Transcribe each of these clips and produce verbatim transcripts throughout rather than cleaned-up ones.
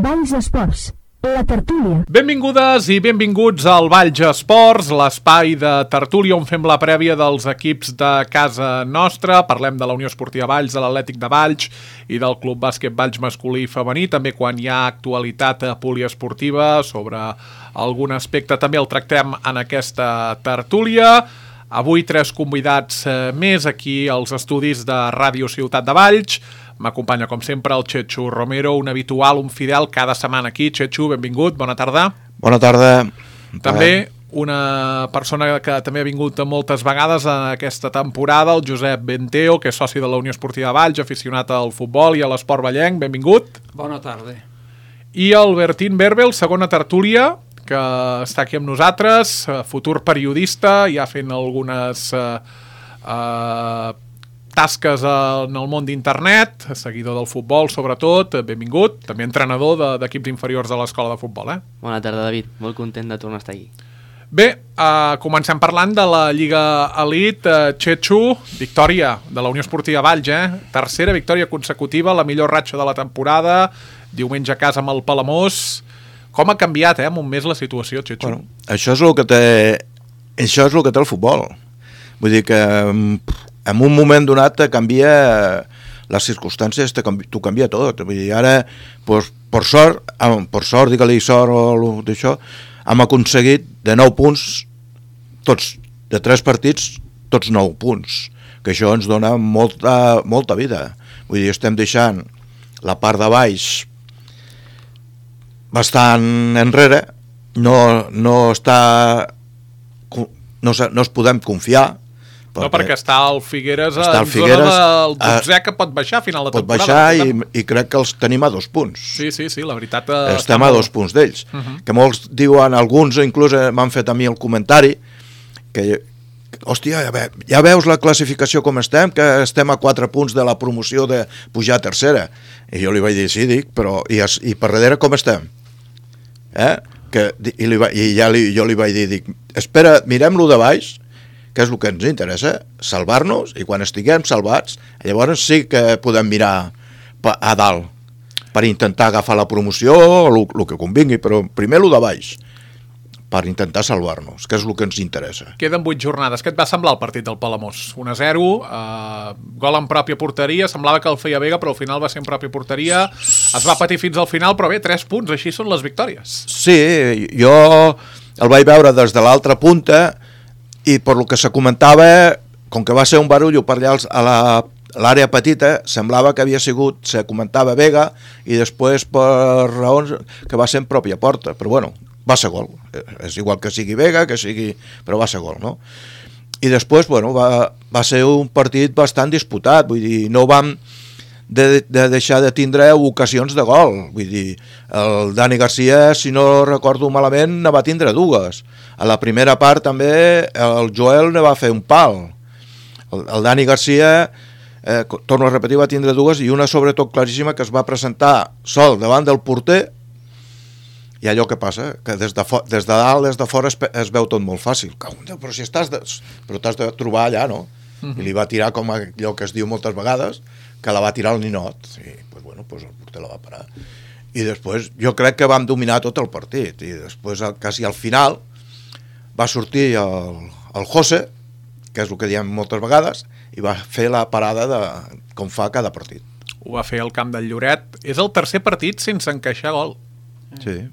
Valls Esports, la tertúlia. Benvingudes i benvinguts al Valls Esports, l'espai de tertúlia on fem la prèvia dels equips de casa nostra. Parlem de la Unió Esportiva Valls, de l'Atlètic de Valls i del Club Bàsquet Valls masculí i femení. També quan hi ha actualitat poliesportiva sobre algun aspecte també el tractem en aquesta tertúlia. Avui tres convidats més aquí als estudis de Ràdio Ciutat de Valls. M'acompanya, com sempre, el Chechu Romero, un habitual, un fidel, cada setmana aquí. Chechu, benvingut, bona tarda. Bona tarda. També una persona que també ha vingut moltes vegades en aquesta temporada, el Josep Benteo, que és soci de la Unió Esportiva Valls, aficionat al futbol i a l'esport vallenc. Benvingut. Bona tarda. I el Bertín Berbel, segona tertúlia, que està aquí amb nosaltres, futur periodista, ja fent algunes eh, eh, tasques en el món d'internet, seguidor del futbol sobretot, benvingut, també entrenador d'equips inferiors de l'escola de futbol. Eh? Bona tarda, David, molt content de tornar a estar aquí. Bé, eh, comencem parlant de la Lliga Elite. eh, Chechu, victòria de la Unió Esportiva Valls, eh? tercera victòria consecutiva, la millor ratxa de la temporada, diumenge a casa amb el Palamós. Com ha canviat, eh, en un mes la situació, Chechu? Bueno, això és el que té, això és el que té el futbol. Vull dir que en un moment donat te canvia les circumstàncies, t'ho canvia tot. Vull dir, ara, pues, per sort, per sort, digue-li sort o d'això, hem aconseguit de nou punts, tots, de tres partits, tots nou punts, que això ens dona molta, molta vida. Vull dir, estem deixant la part de baix bastant enrere, no, no està no, no es podem confiar perquè, no, perquè està el Figueres està en el Figueres, zona del dotzè que pot baixar a final de pot temporada. Pot baixar i, i crec que els tenim a dos punts. Sí, sí, sí, la veritat... Estem a dos punts d'ells. Uh -huh. Que molts diuen, alguns inclús m'han fet a mi el comentari, que hòstia, ja, ve, ja veus la classificació com estem, que estem a quatre punts de la promoció de pujar a tercera. I jo li vaig dir, sí, dic, però i, i per darrere com estem? Eh? Que, i, li va, i ja li, jo li vaig dir, dic, espera, mirem-lo de baix, que és el que ens interessa, salvar-nos, i quan estiguem salvats, llavors sí que podem mirar a dalt per intentar agafar la promoció o el, el que convingui, però primer el de baix, per intentar salvar-nos, que és el que ens interessa. Queden vuit jornades. Què et va semblar el partit del Palamós? un a zero, eh, gol en pròpia porteria, semblava que el feia Vega, però al final va ser en pròpia porteria, es va patir fins al final, però bé, tres punts, així són les victòries. Sí, jo el vaig veure des de l'altra punta, i per lo que se comentava, com que va ser un barullo per allà a l'àrea petita, semblava que havia sigut, se comentava Vega, i després per raons que va ser en pròpia porta, però bueno, va ser gol, és igual que sigui Vega, que sigui... però va ser gol, no? I després, bueno, va, va ser un partit bastant disputat, vull dir, no vam de, de deixar de tindre ocasions de gol, vull dir, el Dani Garcia, si no recordo malament, ne va tindre dues. A la primera part també el Joel ne va fer un pal. El, el Dani Garcia, eh, torno a repetir, va tindre dues, i una sobretot claríssima que es va presentar sol davant del porter. I allò que passa, que des de, des de dalt, des de fora es, es veu tot molt fàcil. Però si estàs de, però t'has de trobar allà, no? Uh-huh. I li va tirar com allò que es diu moltes vegades, que la va tirar al ninot. I pues, bueno, pues el porter la va parar. I després jo crec que vam dominar tot el partit. I després, quasi al final, va sortir el, el José, que és el que diem moltes vegades, i va fer la parada de, com fa cada partit. Ho va fer al camp del Lloret. És el tercer partit sense encaixar gol. Sí.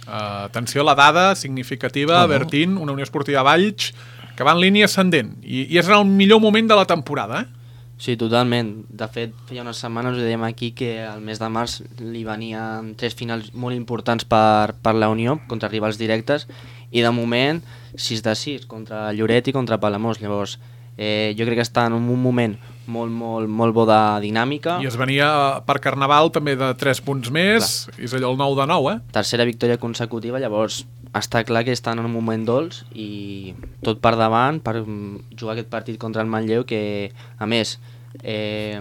Uh, atenció a la dada significativa, no, no. Bertín, una Unió Esportiva Valls que va en línia ascendent i, i és en el millor moment de la temporada, eh? Sí, totalment. De fet, feia unes setmanes ho dèiem aquí que al mes de març li venien tres finals molt importants per, per la Unió contra rivals directes i de moment sis de sis contra Lloret i contra Palamós. Llavors eh, jo crec que està en un moment molt, molt, molt bo de dinàmica. I es venia per Carnaval també de tres punts més. Clar. És allò el nou de nou, eh? Tercera victòria consecutiva, llavors està clar que estan en un moment dolç i tot per davant per jugar aquest partit contra el Manlleu, que a més eh,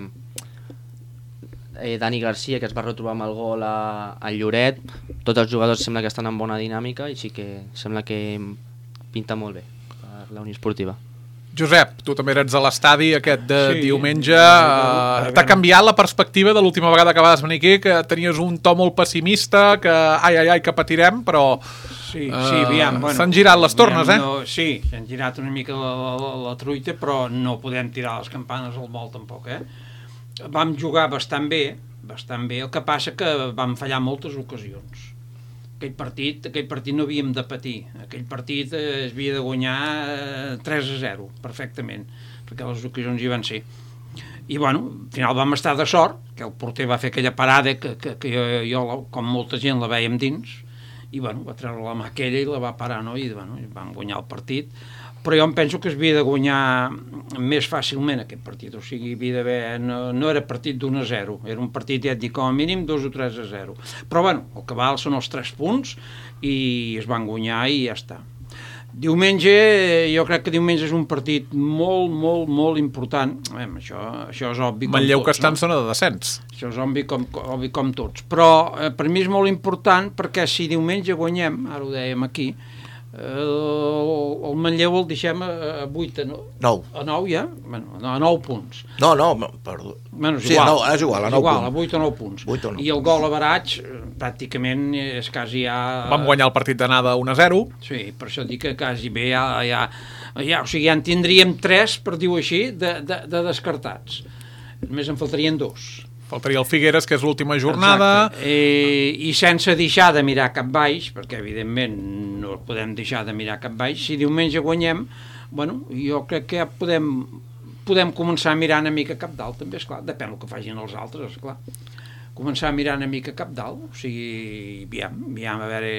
eh, Dani Garcia, que es va retrobar amb el gol a, a Lloret, tots els jugadors sembla que estan en bona dinàmica i sí que sembla que pinta molt bé per la Unió Esportiva. Josep, tu també eres a l'estadi aquest de Sí, diumenge. a Uh, T'ha veure. canviat la perspectiva de l'última vegada que vas venir aquí, que tenies un to molt pessimista, que ai, ai, ai, que patirem, però Sí, eh, sí, aviam, bueno, s'han girat les tornes, aviam, eh? No, sí, s'han girat una mica la, la, la truita, però no podem tirar les campanes al vol tampoc, eh? Vam jugar bastant bé, bastant bé, el que passa que vam fallar moltes ocasions. Aquell partit, aquell partit no havíem de patir, aquell partit eh, es havia de guanyar eh, tres a zero, perfectament, perquè les ocasions hi van ser. I bueno, al final vam estar de sort, que el porter va fer aquella parada que, que, que jo, jo, com molta gent, la vèiem dins, i bueno, va treure la mà aquella i la va parar, no? I bueno, vam guanyar el partit, però jo em penso que es havia de guanyar més fàcilment aquest partit, o sigui, havia d'haver, no, no era partit d'un a zero, era un partit, ja et dic, com a mínim dos o tres a zero, però bueno, el que val són els tres punts i es van guanyar i ja està. Diumenge, jo crec que diumenge és un partit molt, molt, molt important. Bé, això, això és obvi com Manlleu que tots, està en no? zona de descens. Això és obvi com, obvi com tots. Però eh, per mi és molt important perquè si diumenge guanyem, ara ho dèiem aquí, eh, el, el Manlleu el deixem a, a vuit, a nou. A nou ja? Bueno, a nou punts. No, no, perdó. Bueno, és Sí, igual. a nou, és igual, a nou igual, punts. a vuit o nou punts. vuit o nou I el punts. gol a Baraig, eh, pràcticament és quasi ja... Vam guanyar el partit d'anada un a zero. Sí, per això dic que quasi bé ja, ja, ja, o sigui, ja en tindríem tres, per dir-ho així, de, de, de descartats. Només en faltarien dos. Faltaria el Figueres, que és l'última jornada. Exacte. Eh, I sense deixar de mirar cap baix, perquè evidentment no podem deixar de mirar cap baix, si diumenge guanyem, bueno, jo crec que ja podem, podem començar a mirar una mica cap dalt, també, esclar, depèn del que facin els altres, esclar. Començar a mirar una mica cap dalt, o sigui, aviam, aviam a veure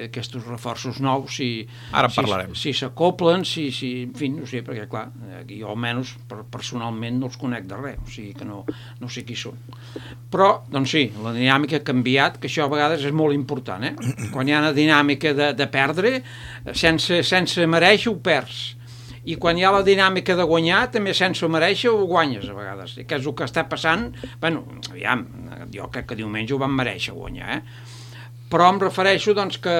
aquests reforços nous, si Ara en si- parlarem. si s'acoplen, si, si, en fi, no sé, perquè clar, aquí jo almenys per, personalment no els conec de res, o sigui que no, no sé qui són. Però, doncs sí, la dinàmica ha canviat, que això a vegades és molt important, eh? Quan hi ha una dinàmica de, de perdre, sense, sense mereixer ho perds. I quan hi ha la dinàmica de guanyar, també sense mereixer ho guanyes a vegades, que és el que està passant. Bueno, aviam, jo crec que diumenge ho van mereixer guanyar, eh? Però em refereixo doncs que,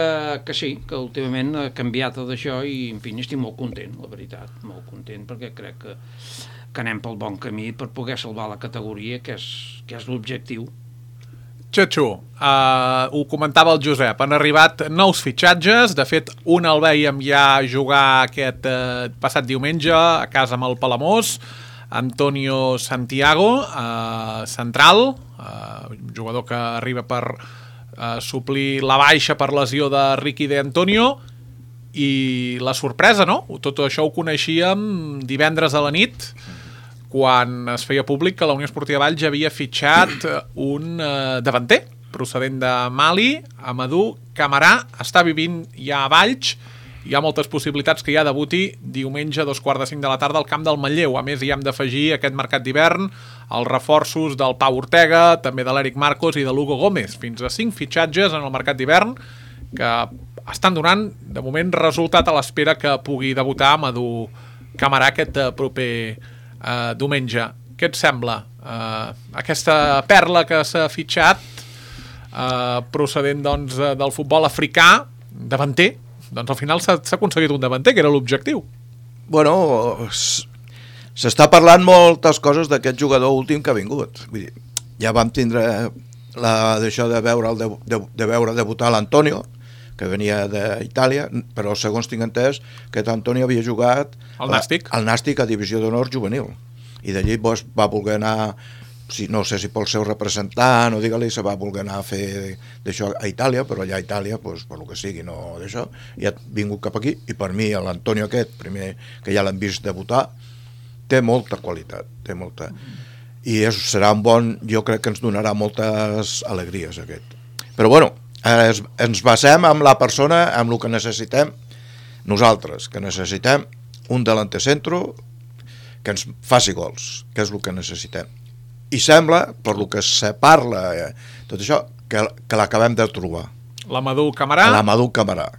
que sí, que últimament ha canviat tot això i en fi, estic molt content, la veritat, molt content, perquè crec que, que anem pel bon camí per poder salvar la categoria, que és, que és l'objectiu. Xatxu, uh, ho comentava el Josep, han arribat nous fitxatges, de fet un el vèiem ja jugar aquest uh, passat diumenge a casa amb el Palamós, Antonio Santiago, uh, central, uh, jugador que arriba per uh, suplir la baixa per lesió de Ricky de Antonio, i la sorpresa, no? Tot això ho coneixíem divendres a la nit, quan es feia públic que la Unió Esportiva Valls havia fitxat un eh, davanter procedent de Mali, Amadou Camarà, està vivint ja a Valls, hi ha moltes possibilitats que ja debuti diumenge a dos quarts de cinc de la tarda al camp del Manlleu. A més, hi hem d'afegir aquest mercat d'hivern els reforços del Pau Ortega, també de l'Eric Marcos i de l'Hugo Gómez. Fins a cinc fitxatges en el mercat d'hivern que estan donant, de moment, resultat a l'espera que pugui debutar Amadou Camarà aquest eh, proper Uh, diumenge. Què et sembla? Uh, aquesta perla que s'ha fitxat uh, procedent doncs, del futbol africà, davanter, doncs al final s'ha aconseguit un davanter, que era l'objectiu. Bueno, s'està parlant moltes coses d'aquest jugador últim que ha vingut. Vull dir, ja vam tindre la, d'això de veure, de, de, de veure debutar l'Antonio, que venia d'Itàlia, però segons tinc entès que Antonio havia jugat al Nàstic, al Nàstic a Divisió d'Honor Juvenil, i d'allí pues, va voler anar, si, no sé si pel seu representant o digue-li, se va voler anar a fer d'això a Itàlia, però allà a Itàlia, pues, per lo que sigui, no d'això, i ha vingut cap aquí, i per mi l'Antonio aquest, primer que ja l'hem vist debutar, té molta qualitat, té molta, i és, serà un bon, jo crec que ens donarà moltes alegries aquest. Però bueno, Es, ens basem en la persona, en el que necessitem nosaltres, que necessitem un delanter centro que ens faci gols, que és el que necessitem. I sembla, per lo que se parla, eh, tot això, que, que l'acabem de trobar. L'Amadou Camarà. L'Amadou Camarà,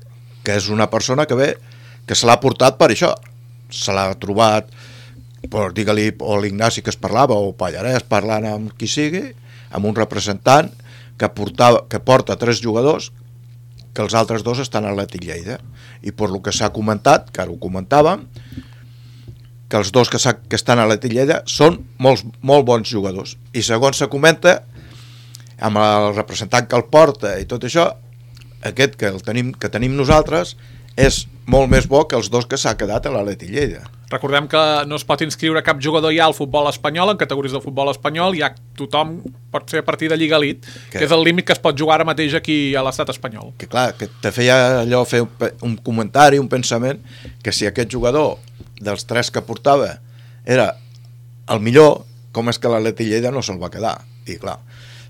que és una persona que ve, que se l'ha portat per això. Se l'ha trobat, per, digue-li, o l'Ignasi que es parlava, o Pallarès parlant amb qui sigui, amb un representant, que, portava, que porta tres jugadors que els altres dos estan a l'Atlètic Lleida, i per lo que s'ha comentat, que ara ho comentàvem, que els dos que, que estan a la Tilleda són molts, molt bons jugadors. I segons se comenta, amb el representant que el porta i tot això, aquest que, el tenim, que tenim nosaltres és molt més bo que els dos que s'ha quedat a l'Atleti Lleida. Recordem que no es pot inscriure cap jugador ja al futbol espanyol, en categories del futbol espanyol, ja tothom pot ser a partir de Lliga Elite, que, que és el límit que es pot jugar ara mateix aquí a l'estat espanyol. Que clar, que te feia allò fer un, un comentari, un pensament, que si aquest jugador dels tres que portava era el millor, com és que l'Atleti Lleida no se'l va quedar? I clar,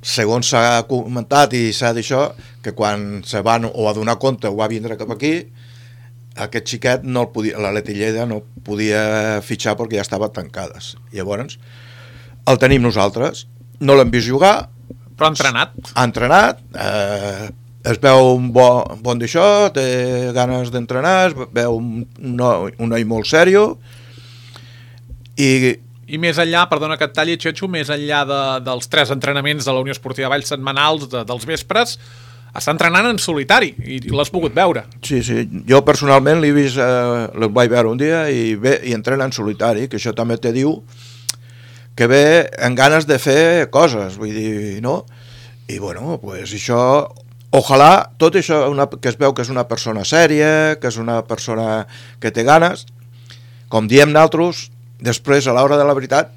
segons s'ha comentat i s'ha d'això, que quan se van o a donar compte o va vindre cap aquí, aquest xiquet no el podia, l'Atleti Lleida no podia fitxar perquè ja estava tancades. Llavors, el tenim nosaltres, no l'hem vist jugar. Però ha entrenat. Ha entrenat, eh, es veu un bon, bon d'això, té ganes d'entrenar, es veu un, un, un noi molt sèrio, i... I més enllà, perdona que et talli, Xetxo, més enllà de, dels tres entrenaments de la Unió Esportiva Valls setmanals de, dels vespres, està entrenant en solitari i l'has pogut veure. Sí, sí, jo personalment l'he vist, eh, el vaig veure un dia i ve i entrena en solitari, que això també te diu que ve en ganes de fer coses, vull dir, no? I bueno, pues això, ojalà, tot això una, que es veu que és una persona sèria, que és una persona que té ganes, com diem nosaltres, després, a l'hora de la veritat,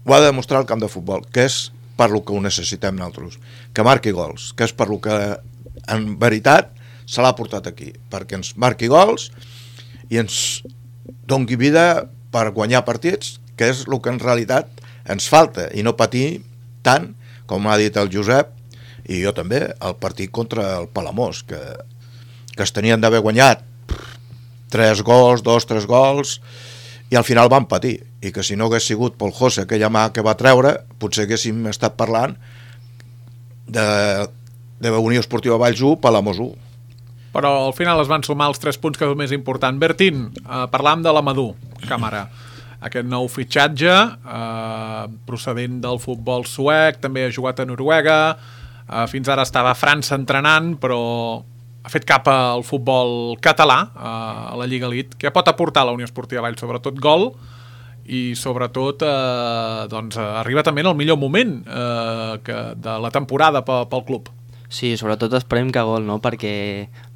ho ha de demostrar el camp de futbol, que és per lo que ho necessitem nosaltres, que marqui gols, que és per lo que en veritat se l'ha portat aquí, perquè ens marqui gols i ens doni vida per guanyar partits, que és el que en realitat ens falta, i no patir tant, com ha dit el Josep, i jo també, el partit contra el Palamós, que, que es tenien d'haver guanyat tres gols, dos, tres gols, i al final van patir, i que si no hagués sigut pel José aquella mà que va treure, potser haguéssim estat parlant de, de Unió Esportiva Valls u, Palamós u. Però al final es van sumar els tres punts, que és el més important. Bertín, eh, parlàvem de l'Amadou Càmara, aquest nou fitxatge eh, procedent del futbol suec, també ha jugat a Noruega, eh, fins ara estava a França entrenant, però ha fet cap al futbol català, a la Lliga Elite. Què pot aportar la Unió Esportiva Valls? Sobretot gol, i sobretot eh, doncs, arriba també en el millor moment eh, que de la temporada pel, pel club. Sí, sobretot esperem que gol, no? Perquè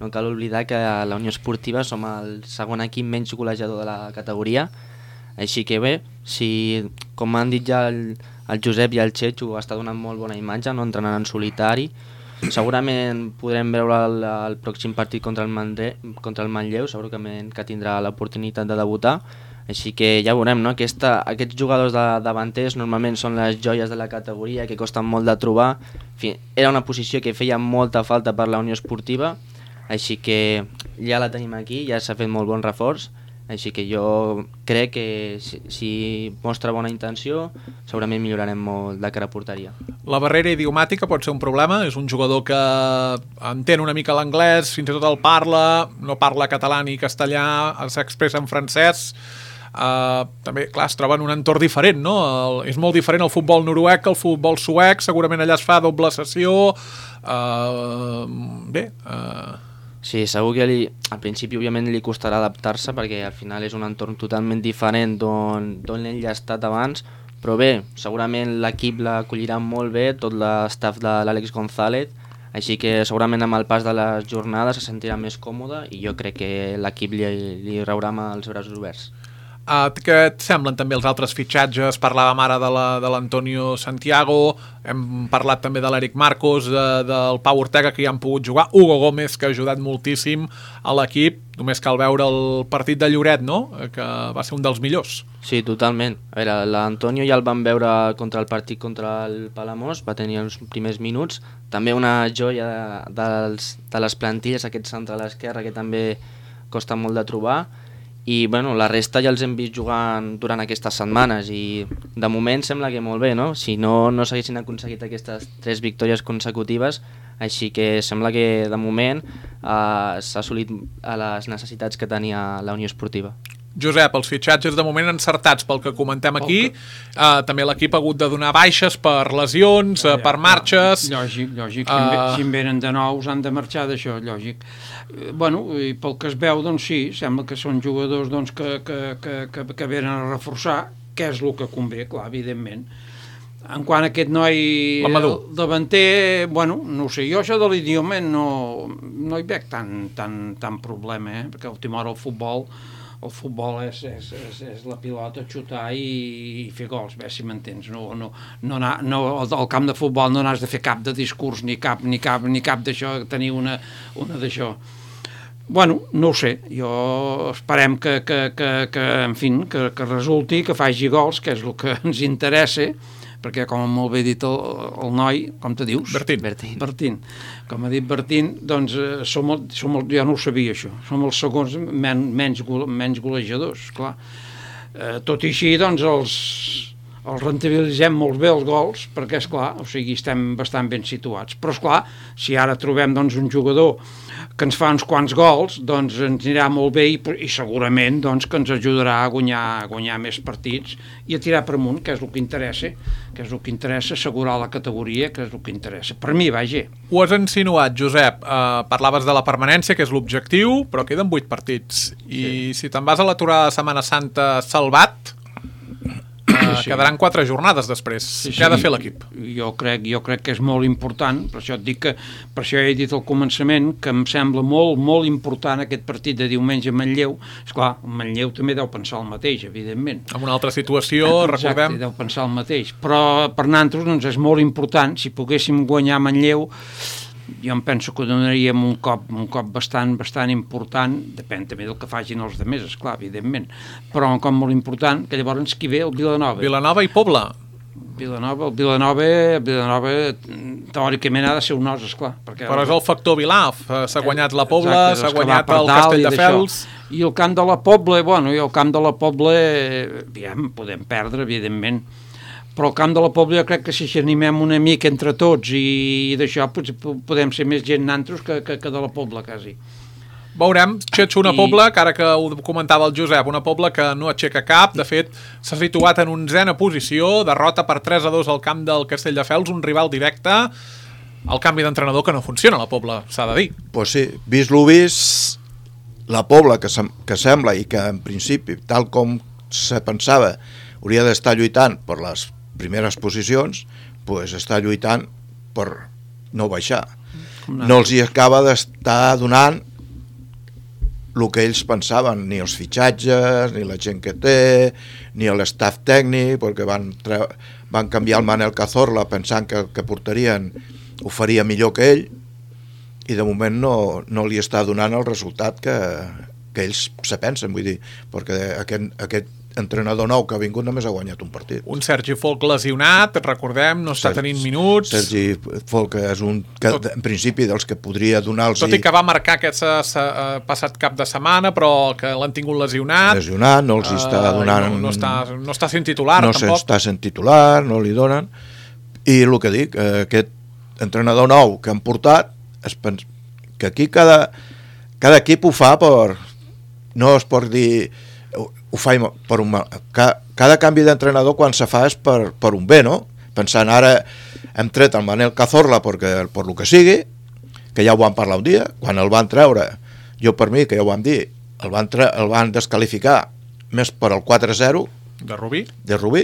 no cal oblidar que a la Unió Esportiva som el segon equip menys golejador de la categoria, així que bé, si, com han dit ja el, el Josep i el Xetxo, està donant molt bona imatge, no? Entrenant en solitari. Segurament podrem veure el, el pròxim partit contra el, Mandre, contra el Manlleu, segurament que tindrà l'oportunitat de debutar, així que ja veurem, no? Aquesta, aquests jugadors de davanters normalment són les joies de la categoria, que costen molt de trobar. En fi, era una posició que feia molta falta per la Unió Esportiva, així que ja la tenim aquí, ja s'ha fet molt bon reforç, així que jo crec que si, si mostra bona intenció segurament millorarem molt de cara a porteria. La barrera idiomàtica pot ser un problema, és un jugador que entén una mica l'anglès, fins i tot el parla, no parla català ni castellà, s'expressa en francès. Uh, també, clar, es troba en un entorn diferent, no? El, és molt diferent el futbol noruec que el futbol suec, segurament allà es fa doble sessió. Uh, bé... Uh... Sí, segur que li, al principi òbviament li costarà adaptar-se perquè al final és un entorn totalment diferent d'on ell ha estat abans, però bé, segurament l'equip l'acollirà molt bé, tot l'estaf de l'Àlex González, així que segurament amb el pas de les jornades se sentirà més còmode i jo crec que l'equip li, li raurà amb els braços oberts. Uh, què et semblen també els altres fitxatges? Parlàvem ara de l'Antonio Santiago, hem parlat també de l'Eric Marcos, de, del Pau Ortega, que ja han pogut jugar, Hugo Gómez, que ha ajudat moltíssim a l'equip, només cal veure el partit de Lloret, no? Que va ser un dels millors. Sí, totalment. A veure, l'Antonio ja el vam veure contra el partit contra el Palamós, va tenir els primers minuts, també una joia de, dels, de les plantilles, aquest centre a l'esquerra, que també costa molt de trobar, i bueno, la resta ja els hem vist jugant durant aquestes setmanes i de moment sembla que molt bé, no? Si no, no s'haguessin aconseguit aquestes tres victòries consecutives, així que sembla que de moment eh, s'ha assolit a les necessitats que tenia la Unió Esportiva. Josep, els fitxatges de moment encertats pel que comentem aquí, uh, també l'equip ha hagut de donar baixes per lesions, uh, per marxes... Lògic, lògic, si, uh... si en venen de nous han de marxar d'això, lògic. Bueno, i pel que es veu, doncs sí, sembla que són jugadors doncs, que, que, que, que, que venen a reforçar, què és el que convé, clar, evidentment. En quant a aquest noi davanter, bueno, no sé, jo això de l'idioma no, no hi veig tan, tan, tan problema, eh? Perquè a última hora el futbol... El futbol és, és, és, és la pilota, xutar i, i fer gols, bé, si m'entens. No, no, no, no, al camp de futbol no n'has de fer cap de discurs, ni cap, ni cap, ni cap d'això, tenir una, una d'això. Bueno, no ho sé, jo esperem que, que, que, que en fi, que, que resulti, que faci gols, que és el que ens interessa, perquè, com molt bé dit el, el noi, com te dius? Bertín. Bertín. Bertín. Com ha dit Bertín, doncs, eh, som, el, som el, jo no ho sabia, això. Som els segons men, menys, menys golejadors, clar. Eh, tot i així, doncs, els, els rentabilitzem molt bé els gols, perquè, esclar, o sigui, estem bastant ben situats. Però, esclar, si ara trobem, doncs, un jugador que ens fa uns quants gols, doncs ens anirà molt bé i, i segurament doncs, que ens ajudarà a guanyar, a guanyar més partits i a tirar per amunt, que és el que interessa, que és el que interessa, assegurar la categoria, que és el que interessa. Per mi, vaja. Ho has insinuat, Josep. Uh, parlaves de la permanència, que és l'objectiu, però queden vuit partits. I sí. Si te'n vas a l'aturada de Setmana Santa salvat, uh, sí. quedaran quatre jornades després. Sí, sí. Què ha de fer l'equip? Jo crec, jo crec que és molt important, per això et dic que, per això he dit al començament que em sembla molt, molt important aquest partit de diumenge a Manlleu. Esclar, Manlleu també deu pensar el mateix, evidentment. En una altra situació, exacte, recordem... deu pensar el mateix. Però per nosaltres doncs, és molt important, si poguéssim guanyar Manlleu, jo em penso que donaríem un cop, un cop bastant, bastant important, depèn també del que facin els altres, esclar, evidentment, però un cop molt important, que llavors qui ve? El Vilanova. Vilanova i Pobla. Vilanova, el Vilanova, Vilanova teòricament ha de ser un os, esclar. Perquè però és el factor Vilaf, s'ha guanyat la Pobla, s'ha guanyat el Castelldefels... I el camp de la Pobla, bueno, i el camp de la Pobla, aviam, podem perdre, evidentment, però al camp de la Pobla jo crec que si animem una mica entre tots i, i d'això podem ser més gent nantros que, que, que de la Pobla, quasi. Veurem, Xetxo, una I... Pobla, que ara que ho comentava el Josep, una Pobla que no aixeca cap, de fet s'ha situat en onzena posició, derrota per tres a dos al camp del Castelldefels, un rival directe, el canvi d'entrenador que no funciona a la Pobla, s'ha de dir. Pues sí, vist lo vist, la Pobla que, sem que sembla i que en principi, tal com se pensava, hauria d'estar lluitant per les primeres posicions, pues està lluitant per no baixar. No els hi acaba d'estar donant el que ells pensaven, ni els fitxatges, ni la gent que té, ni l'estaf tècnic, perquè van, van canviar el Manel Cazorla pensant que el que portarien ho faria millor que ell, i de moment no, no li està donant el resultat que, que ells se pensen, vull dir, perquè aquest, aquest entrenador nou que ha vingut només ha guanyat un partit. Un Sergi Folk lesionat, recordem, no està Sergi, tenint minuts. Sergi Folk és un que, tot, en principi dels que podria donar-los... Tot i que va marcar aquest uh, passat cap de setmana, però que l'han tingut lesionat. Lesionat, no els uh, està donant... No, no, està, no està sent titular, no tampoc. No està sent titular, no li donen. I el que dic, eh, aquest entrenador nou que han portat, es pens... que aquí cada, cada equip ho fa per... No es pot dir... ho fa per un mal. Cada canvi d'entrenador quan se fa és per, per un bé, no? Pensant, ara hem tret el Manel Cazorla perquè, per lo que sigui, que ja ho vam parlar un dia, quan el van treure, jo per mi, que ja ho vam dir, el van, tre el van descalificar més per el quatre a zero de Rubí, de Rubí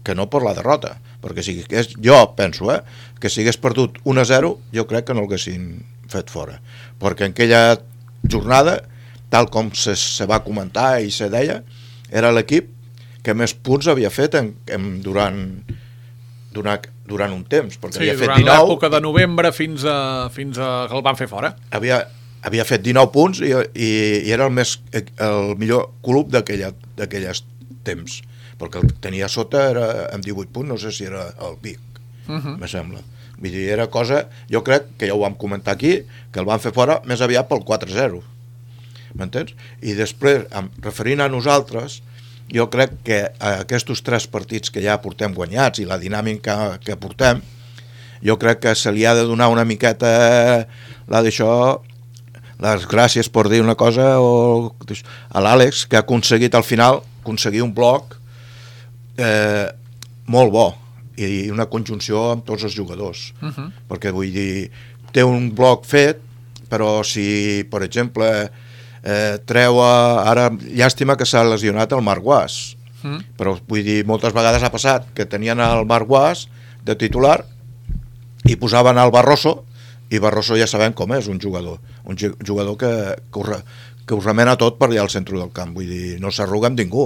que no per la derrota, perquè si hagués, jo penso, eh, que si hagués perdut un a zero, jo crec que no l'haguessin fet fora, perquè en aquella jornada, tal com se, se va comentar i se deia, era l'equip que més punts havia fet en, en, durant, durant, durant un temps, perquè sí, havia fet dinou... durant l'època de novembre fins a, fins a que el van fer fora. Havia, havia fet dinou punts i, i, i era el, més, el millor club d'aquelles temps, perquè el tenia sota era amb divuit punts, no sé si era el Vic, uh -huh. me sembla. Vull dir, era cosa, jo crec que ja ho vam comentar aquí, que el van fer fora més aviat pel quatre a zero. M'entens? I després, referint a nosaltres, jo crec que aquests tres partits que ja portem guanyats i la dinàmica que portem, jo crec que se li ha de donar una miqueta la d'això, les gràcies per dir una cosa o, a l'Àlex, que ha aconseguit al final aconseguir un bloc eh, molt bo i una conjunció amb tots els jugadors. Uh-huh. Perquè vull dir, té un bloc fet, però si, per exemple, eh, treu a, ara, llàstima que s'ha lesionat el Marc Guas, uh-huh. però vull dir, moltes vegades ha passat que tenien el Marc Guas de titular i posaven el Barroso, i Barroso ja sabem com és, un jugador, un jugador que, que, ho, que ho remena tot per allà al centre del camp, vull dir, no s'arruga amb ningú,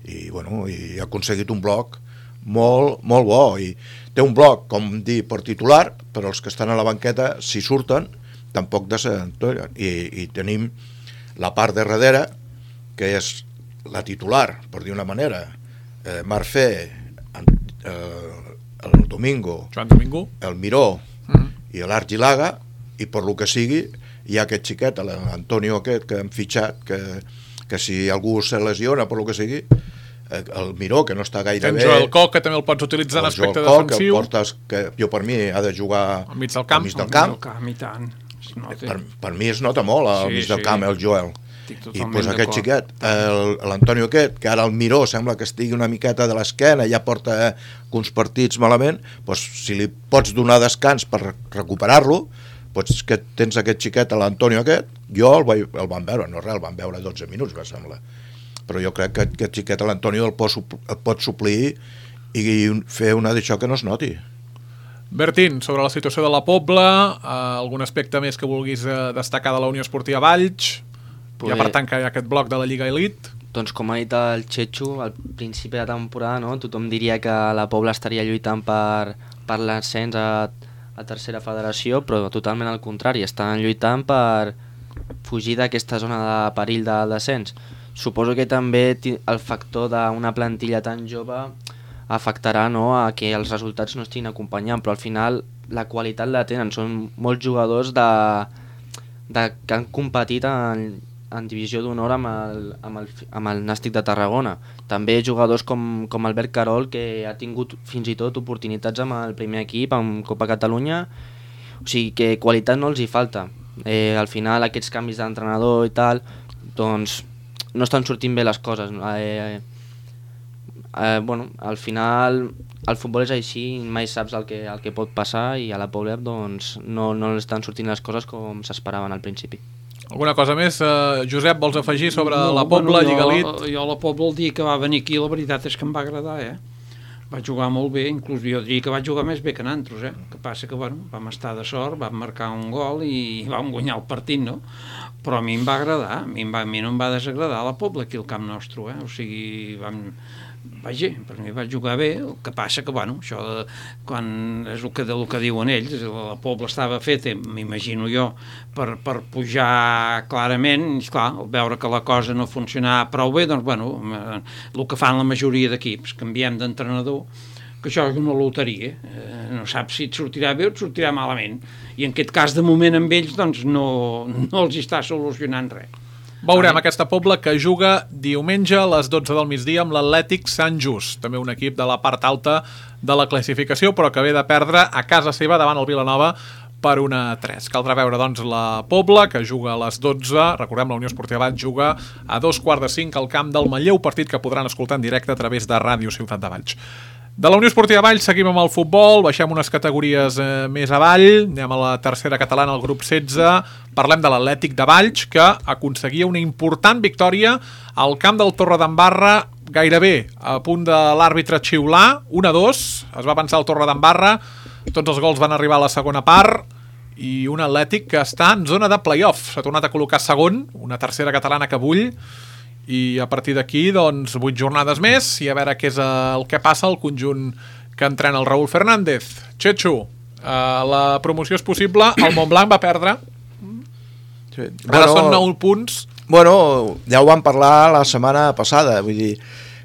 i, bueno, i ha aconseguit un bloc molt, molt bo, i té un bloc, com dir, per titular, però els que estan a la banqueta, si surten, tampoc desentollen, i, i tenim la part de darrere, que és la titular, per dir una manera, eh, Marfé, eh, el Domingo, Joan Domingo, el Miró, i l'Argilaga, i per lo que sigui hi ha aquest xiquet, l'Antonio aquest que hem fitxat, que, que si algú se lesiona per lo que sigui, el Miró, que no està gaire tens bé, Joel Coc, que també el pots utilitzar en aspecte Coc, defensiu, que, portes, que jo per mi ha de jugar al mig del camp, al mig del camp. camp i tant. Per, per mi es nota molt al sí, mig del sí. camp el Joel. I pues, aquest xiquet, l'Antonio aquest, que ara el Miró sembla que estigui una miqueta de l'esquena, ja porta uns partits malament, pues, si li pots donar descans per recuperar-lo, pues, que tens aquest xiquet, l'Antonio aquest, jo el, vaig, el van veure, no res, el van veure dotze minuts, me sembla. Però jo crec que aquest xiquet, l'Antonio, el pot, el pot suplir i fer una d'això que no es noti. Bertín, sobre la situació de la Pobla, eh, algun aspecte més que vulguis eh, destacar de la Unió Esportiva Valls? Poder... Ja per tant que hi ha aquest bloc de la Lliga Elite. Doncs com ha dit el Txetxo, al principi de temporada, no? Tothom diria que la Pobla estaria lluitant per, per l'ascens a, a tercera federació, però totalment al contrari, estan lluitant per fugir d'aquesta zona de perill del descens. Suposo que també el factor d'una plantilla tan jove afectarà, no?, a que els resultats no estiguin acompanyant, però al final la qualitat la tenen, són molts jugadors de, de, que han competit en, en divisió d'honor amb el, amb, el, amb el Nàstic de Tarragona. També jugadors com, com Albert Carol, que ha tingut fins i tot oportunitats amb el primer equip, amb Copa Catalunya, o sigui que qualitat no els hi falta. Eh, al final aquests canvis d'entrenador i tal, doncs no estan sortint bé les coses. Eh, eh, bueno, al final el futbol és així, mai saps el que, el que pot passar, i a la Pobla doncs, no, no estan sortint les coses com s'esperaven al principi. Alguna cosa més, eh, Josep, vols afegir sobre no, la Pobla, bueno, Lliga jo, Elite? Jo la Pobla el dia que va venir aquí, la veritat és que em va agradar, eh? Va jugar molt bé, inclús jo diria que va jugar més bé que nosaltres, eh? Que passa que, bueno, vam estar de sort, vam marcar un gol i vam guanyar el partit, no? Però a mi em va agradar, a mi, em va, a mi no em va desagradar la Pobla aquí al camp nostre, eh? O sigui, vam... Vaja, per mi va jugar bé, el que passa que, bueno, això de, quan és el que, el que diuen ells, la Pobla estava feta, m'imagino jo, per, per pujar clarament, i esclar, al veure que la cosa no funcionava prou bé, doncs, bueno, el que fan la majoria d'equips, canviem d'entrenador, que això és una loteria, eh, no saps si et sortirà bé o et sortirà malament, i en aquest cas, de moment, amb ells, doncs, no, no els està solucionant res. Veurem aquesta Pobla que juga diumenge a les dotze del migdia amb l'Atlètic Sant Just, també un equip de la part alta de la classificació, però que ve de perdre a casa seva davant el Vilanova per una a tres. Caldrà veure, doncs, la Pobla, que juga a les dotze, recordem, la Unió Esportiva Valls juga a dos quarts de cinc al camp del Manlleu, partit que podran escoltar en directe a través de Ràdio Ciutat de Valls. De la Unió Esportiva Valls seguim amb el futbol, baixem unes categories eh, més avall, anem a la tercera catalana, al grup setze, parlem de l'Atlètic de Valls, que aconseguia una important victòria al camp del Torredembarra, gairebé a punt de l'àrbitre xiular, un a dos, es va avançar el Torredembarra, tots els gols van arribar a la segona part, i un Atlètic que està en zona de play-off, s'ha tornat a col·locar segon, una tercera catalana que bull, i a partir d'aquí, doncs, vuit jornades més i a veure què és el que passa al conjunt que entrena el Raúl Fernández. Txetxo, eh, la promoció és possible, el Montblanc va perdre, sí. Ara bueno, són nou punts. Bueno, ja ho vam parlar la setmana passada, vull dir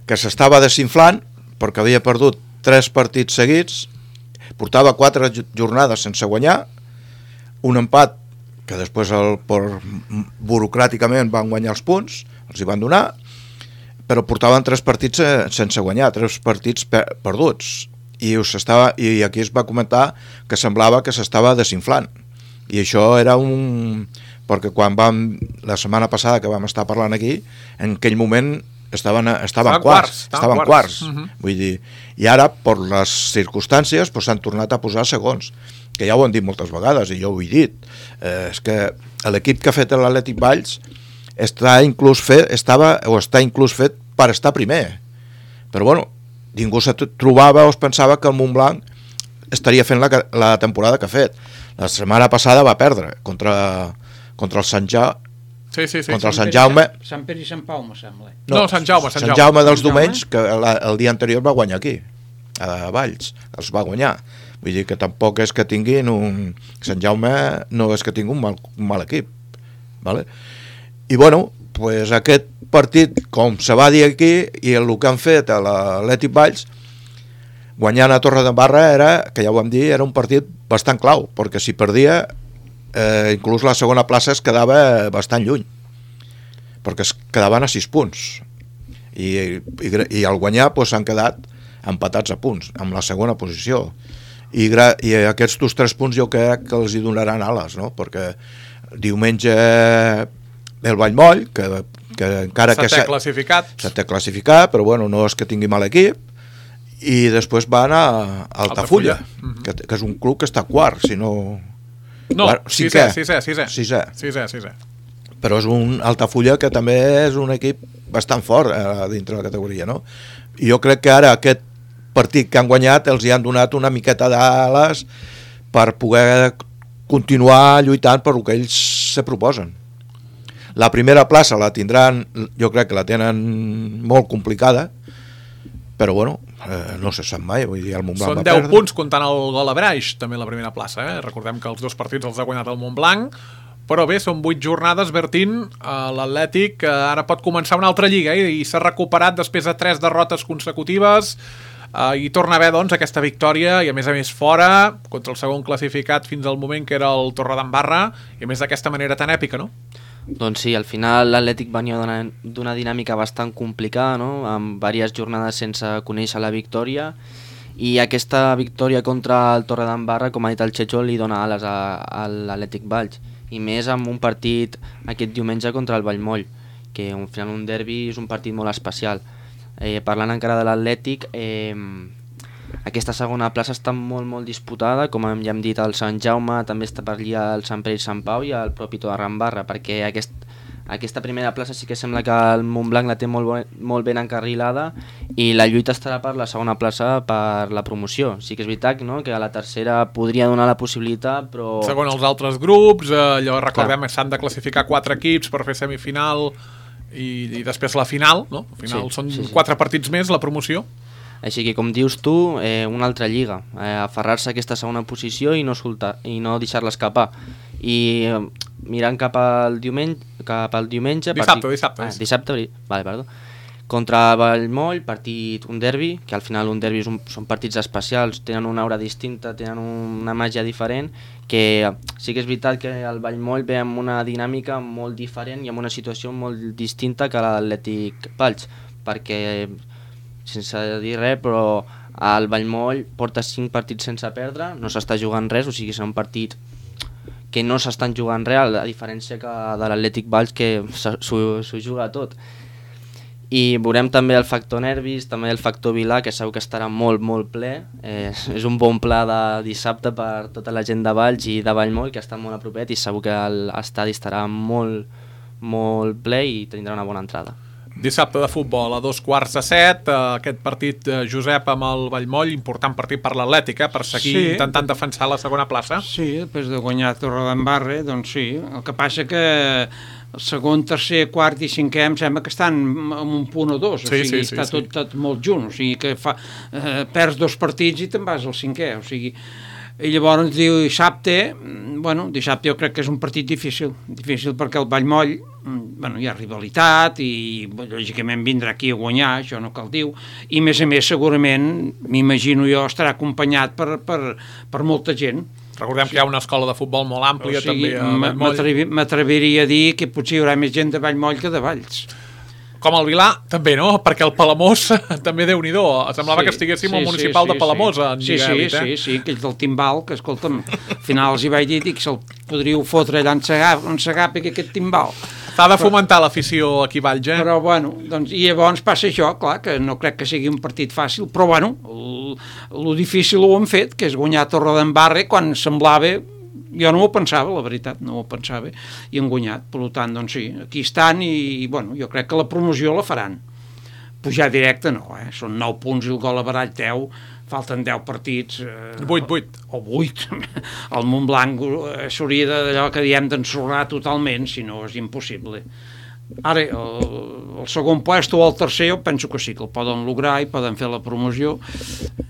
que s'estava desinflant perquè havia perdut tres partits seguits, portava quatre jornades sense guanyar, un empat que després el, per, burocràticament van guanyar els punts, els hi van donar, però portaven tres partits sense guanyar, tres partits per, perduts, i, estava, i aquí es va comentar que semblava que s'estava desinflant, i això era un... perquè quan vam, la setmana passada que vam estar parlant aquí, en aquell moment estaven, estaven, estaven quarts, estaven quarts, quarts. Uh-huh. Vull dir, i ara, per les circumstàncies, pues, s'han tornat a posar segons, que ja ho han dit moltes vegades, i jo ho he dit, eh, és que l'equip que ha fet l'Atlètic Valls està inclús fet, estava, o està inclús fet per estar primer, però bueno, ningú se trobava o es pensava que el Montblanc estaria fent la, la temporada que ha fet. La setmana passada va perdre contra, contra el Sant Jaume, sí, sí, sí, contra el Sant Sant Jaume. Sant Pere i Sant Pau, me sembla. No, no Sant Jaume, Sant Sant Jaume. Jaume dels Domenys, que la, el dia anterior va guanyar aquí, a Valls, els va guanyar. Vull dir que tampoc és que tinguin un... Sant Jaume no és que tingui un mal, un mal equip. Vale? I bueno, pues aquest partit, com se va dir aquí, i el que han fet a l'Atlètic Valls, guanyant a Torredembarra era, que ja ho vam dir, era un partit bastant clau, perquè si perdia, eh, inclús la segona plaça es quedava bastant lluny, perquè es quedaven a sis punts. I, i, i al guanyar pues, s'han quedat empatats a punts, amb la segona posició. I, gra, i aquests dos tres punts jo crec que els hi donaran ales, no? Perquè diumenge el Vallmoll, que, que encara que... S'ha classificat. S'ha classificat, però bueno, no és que tingui mal equip, i després van a Altafulla, uh-huh. que, que és un club que està quart, si no... No, quart, sisè, sisè, sisè. Sisè. Sisè, sisè. Però és un Altafulla que també és un equip bastant fort eh, dintre de la categoria, no? I jo crec que ara aquest partit que han guanyat els hi han donat una miqueta d'ales per poder continuar lluitant per el que ells se proposen. La primera plaça la tindran, jo crec que la tenen molt complicada, però bueno, eh, no se sap mai, vull dir, el Montblanc Són va deu perdre. punts comptant el gol a Braix, també la primera plaça, eh? Recordem que els dos partits els ha guanyat el Montblanc, però bé, són vuit jornades, Bertín, l'Atlètic ara pot començar una altra lliga, eh? I s'ha recuperat després de tres derrotes consecutives, eh, i torna a haver, doncs, aquesta victòria, i a més a més fora, contra el segon classificat fins al moment que era el Torredembarra, i a més d'aquesta manera tan èpica, no? Doncs sí, al final l'Atlètic venia d'una dinàmica bastant complicada, no? Amb diverses jornades sense conèixer la victòria, i aquesta victòria contra el Torredembarra, com ha dit el Checho, li dona ales a, a l'Atlètic Valls, i més amb un partit aquest diumenge contra el Vallmoll, que al final un derbi és un partit molt especial. Eh, parlant encara de l'Atlètic, eh, aquesta segona plaça està molt molt disputada, com ja hem dit, el Sant Jaume, també està per allà el Sant Pere i Sant Pau i el propi Torredembarra, perquè aquest, aquesta primera plaça sí que sembla que el Montblanc la té molt, molt ben encarrilada, i la lluita estarà per la segona plaça per la promoció. Sí que és veritat, no?, que a la tercera podria donar la possibilitat, però... Segons els altres grups, eh, allò recordem que s'han de classificar quatre equips per fer semifinal i, i després la final, no? Al final sí, són sí, sí. quatre partits més la promoció. Així que, com dius tu, eh, una altra lliga, eh, aferrar-se a aquesta segona posició i no, soltar, i no deixar-la escapar. I eh, mirant cap al diumenge... Cap al diumenge dissabte, partit, dissabte. Ah, dissabte, vale, perdó. Contra Vallmoll, partit, un derbi, que al final un derbi un, són partits especials, tenen una aura distinta, tenen una màgia diferent, que sí que és veritat que el Vallmoll ve amb una dinàmica molt diferent i amb una situació molt distinta que l'Atlètic Valls, perquè... sense dir res, però el Vallmoll porta cinc partits sense perdre, no s'està jugant res, o sigui, és un partit que no s'estan jugant res, a diferència que de l'Atlètic Valls, que s'ho juga tot. I veurem també el factor nervis, també el factor Vilà, que segur que estarà molt, molt ple. Eh, és un bon pla de dissabte per tota la gent de Valls i de Vallmoll, que està molt a propet, i segur que l'estadi estarà molt, molt ple i tindrà una bona entrada. Dissabte de futbol a dos quarts de set, aquest partit, Josep, amb el Vallmoll, important partit per l'Atlètic, eh, per seguir sí. intentant defensar la segona plaça. Sí, després de guanyar Torredembarra, doncs sí. El que passa que el segon, tercer, quart i cinquè em sembla que estan en un punt o dos, o sí, sigui, sí, sí, està sí. Tot, tot molt junt, o sigui que fa, eh, perds dos partits i te'n vas al cinquè, o sigui... I llavors diu dissabte, bueno, dissabte jo crec que és un partit difícil, difícil perquè el Vallmoll, bueno, hi ha rivalitat i lògicament vindrà aquí a guanyar, això no cal dir, i a més a més segurament, m'imagino jo, estarà acompanyat per, per, per molta gent. Recordem que hi ha una escola de futbol molt àmplia, o sigui, també a Vallmoll. M'atreviria a dir que potser hi haurà més gent de Vallmoll que de Valls. Com el Vilà, també, no? Perquè el Palamós també Déu-n'hi-do. Semblava sí, que estiguéssim sí, al municipal sí, de Palamós sí. en sí, Lliga sí, Elite. Sí, sí, aquells del timbal, que escolta'm, al final els hi vaig dir que se'l podríeu fotre allà en Segap, en Segap aquest timbal. S'ha de fomentar l'afició aquí a Valls, eh? Però, bueno, doncs, i llavors passa això, clar, que no crec que sigui un partit fàcil, però, bueno, el, el difícil ho han fet, que és guanyar Torredembarra quan semblava... Jo no ho pensava, la veritat, no ho pensava, i han guanyat, per tant, doncs sí, aquí estan i, bueno, jo crec que la promoció la faran. Pujar directe no, eh? Són nou punts i el gol a barall teu, falten deu partits... Eh, vuit, vuit. O vuit. El Montblanc eh, s'hauria d'allò que diem d'ensorrar totalment, si no és impossible. Ara, el, el segon puesto o el tercer, jo penso que sí, que el poden lograr i poden fer la promoció.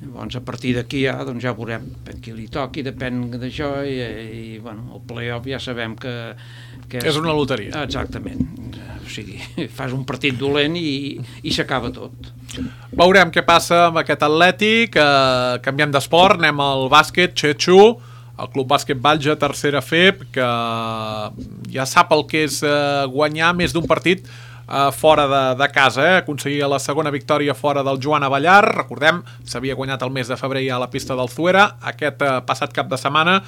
Llavors, a partir d'aquí ja, doncs ja veurem qui li toqui, depèn d'això, i, i bueno, el play-off ja sabem que... que és, és una loteria. Exactament. O sigui, fas un partit dolent i, i s'acaba tot. Veurem què passa amb aquest Atlètic. Eh, canviem d'esport, anem al bàsquet, Chechu, el Club Bàsquet Valls, tercera F E P, que ja sap el que és eh, guanyar més d'un partit eh, fora de, de casa, eh? Aconseguia la segona victòria fora del Joan Avellar, recordem, s'havia guanyat el mes de febrer ja a la pista del Zuera, aquest eh, passat cap de setmana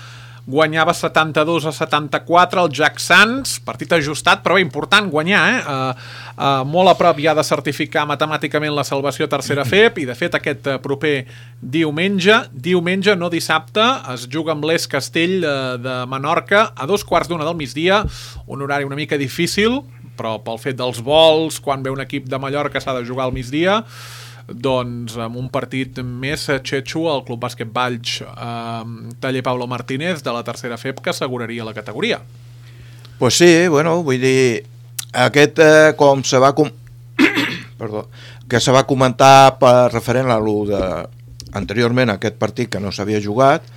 guanyava setanta-dos a setanta-quatre el Jack Sands, partit ajustat, però bé, important guanyar, eh? Uh, uh, molt a prop ja de certificar matemàticament la salvació a tercera F E P, i de fet aquest uh, proper diumenge, diumenge, no dissabte, es juga amb l'Es Castell uh, de Menorca a dos quarts d'una del migdia, un horari una mica difícil, però pel fet dels vols, quan ve un equip de Mallorca s'ha de jugar al migdia, doncs amb un partit més Chechu, el Club Bàsquet Valls eh, taller Pablo Martínez de la tercera F E P, que asseguraria la categoria. Pues sí, bueno, vull dir aquest eh, com se va com... Perdó, que se va comentar per referent a lo de anteriorment aquest partit que no s'havia jugat,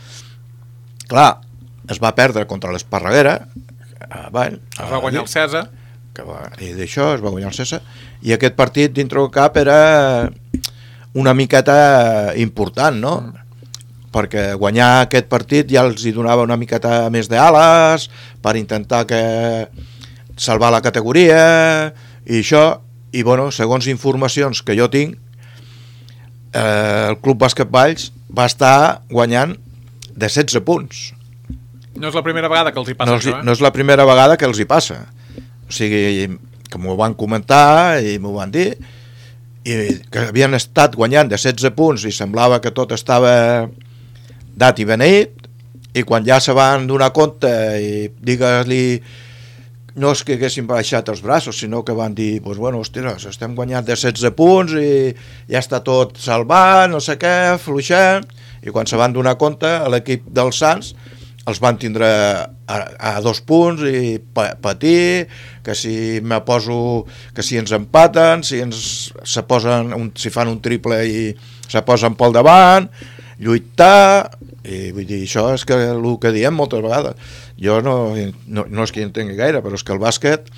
clar, es va perdre contra l'Esparreguera, eh, bueno, es va guanyar el Cesa, que va, i d'això es va guanyar el Cesa, i aquest partit dintre del cap era una miqueta important, no? Mm. Perquè guanyar aquest partit ja els hi donava una miqueta més d'ales per intentar que salvar la categoria i això, i bueno, segons informacions que jo tinc, eh, el Club Bàsquet Valls va estar guanyant de setze punts. No és la primera vegada que els hi passa no, això, eh? No és la primera vegada que els hi passa. O sigui, que m'ho van comentar i m'ho van dir, i que havien estat guanyant de setze punts i semblava que tot estava dat i beneït, i quan ja se van donar compte i digues-li, no és que haguessin baixat els braços, sinó que van dir, pues bueno, ostres, estem guanyant de setze punts i ja està tot salvat, no sé què, fluixem, i quan se van donar compte l'equip dels Sants els van tindre a, a dos punts i pa, patir, que si me poso, que si ens empaten, si ens se posen un, si fan un triple i se posen pel davant, lluitar, i vull dir, això és que el que diem moltes vegades. Jo no, no, no és que hi entengui gaire, però és que el bàsquet,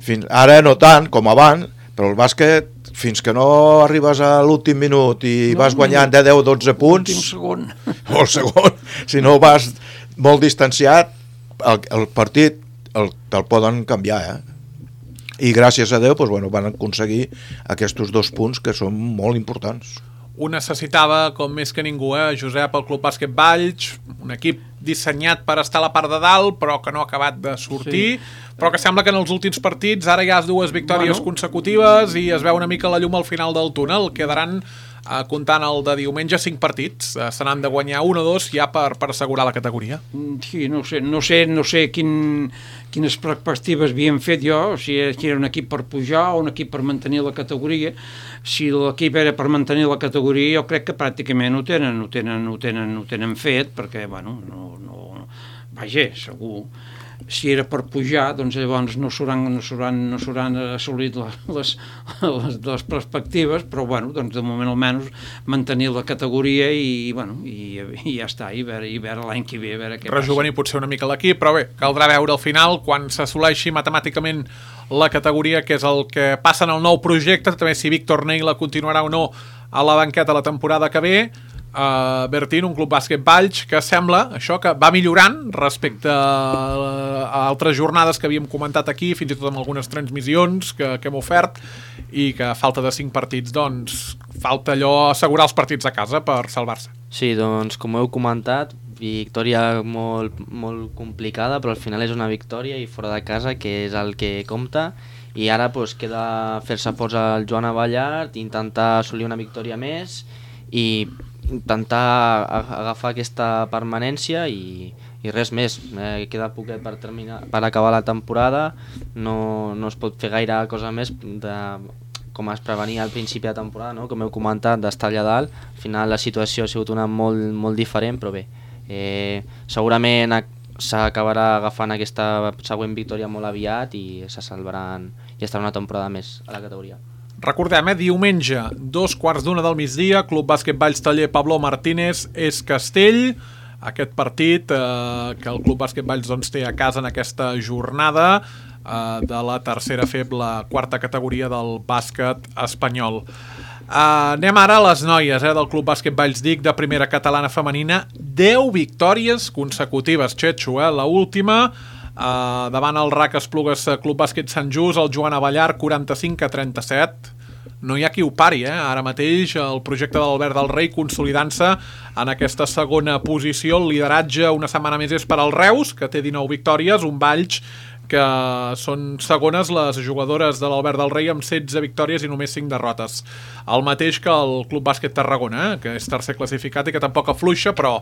fins ara no tant com abans, però el bàsquet, fins que no arribes a l'últim minut i no, vas guanyant de deu a dotze punts, l'últim segon, o el segon, si no vas molt distanciat, el, el partit el, te'l poden canviar, eh? I gràcies a Déu, doncs, bueno, van aconseguir aquests dos punts que són molt importants. Ho necessitava com més que ningú, eh? Josep, el Club Bàsquet Valls, un equip dissenyat per estar a la part de dalt, però que no ha acabat de sortir, sí. Però que sembla que en els últims partits ara hi ha dues victòries bueno. consecutives i es veu una mica la llum al final del túnel. Quedaran, eh, comptant el de diumenge, cinc partits. Eh, se n'han de guanyar un o dos ja per, per assegurar la categoria. Sí, no sé, no sé, no sé quin, quines perspectives havien fet jo, si era un equip per pujar o un equip per mantenir la categoria. Si l'equip era per mantenir la categoria, jo crec que pràcticament ho tenen, ho tenen, ho tenen, ho tenen fet, perquè, bueno, no, no, vaja, segur. Si era per pujar, doncs llavors no s'hauran no s'hauran no s'hauran assolit les, les, les, les perspectives, però bueno, doncs de moment almenys mantenir la categoria i, bueno, i, i ja està, i veure, i veure l'any que ve, a veure què passa. Rejuvenir potser una mica l'equip, però bé, caldrà veure al final, quan s'assoleixi matemàticament la categoria, que és el que passa en el nou projecte, també si Víctor Neila continuarà o no a la banqueta la temporada que ve. Uh, Bertín, un Club Bàsquet Valls que sembla això que va millorant respecte a, a altres jornades que havíem comentat aquí, fins i tot amb algunes transmissions que, que hem ofert, i que a falta de cinc partits, doncs, falta allò assegurar els partits a casa per salvar-se. Sí, doncs, com heu comentat, victòria molt, molt complicada, però al final és una victòria i fora de casa, que és el que compta, i ara pues, queda fer-se forts al Joan Abellard, intentar assolir una victòria més i intentar agafar aquesta permanència i, i res més. Eh, queda poquet per, terminar, per acabar la temporada, no, no es pot fer gaire cosa més de, com es prevenia al principi de temporada, no? Com heu comentat, d'estar allà dalt. Al final la situació ha sigut una molt, molt diferent, però bé, eh, segurament s'acabarà agafant aquesta següent victòria molt aviat i se salvaran i estarà una temporada més a la categoria. Recordem, eh, diumenge, dos quarts d'una del migdia, Club Bàsquet Valls Taller Pablo Martínez és Castell. Aquest partit eh, que el Club Bàsquet Valls doncs, té a casa en aquesta jornada eh, de la tercera F E B, la quarta categoria del bàsquet espanyol. Uh, anem ara a les noies eh, del Club Bàsquet Valls Dic de primera catalana femenina. deu victòries consecutives, Xetxo, eh? La última uh, davant el R A C Esplugues Club Bàsquet Sant Just, el Joan Abellard, quaranta-cinc a trenta-set. No hi ha qui ho pari, eh? Ara mateix el projecte de l'Albert del Rei consolidant-se en aquesta segona posició. El lideratge una setmana més és per al Reus, que té dinou victòries, un Valls que són segones les jugadores de l'Albert del Rei amb setze victòries i només cinc derrotes. El mateix que el Club Bàsquet Tarragona, eh? Que és tercer classificat i que tampoc afluixa, però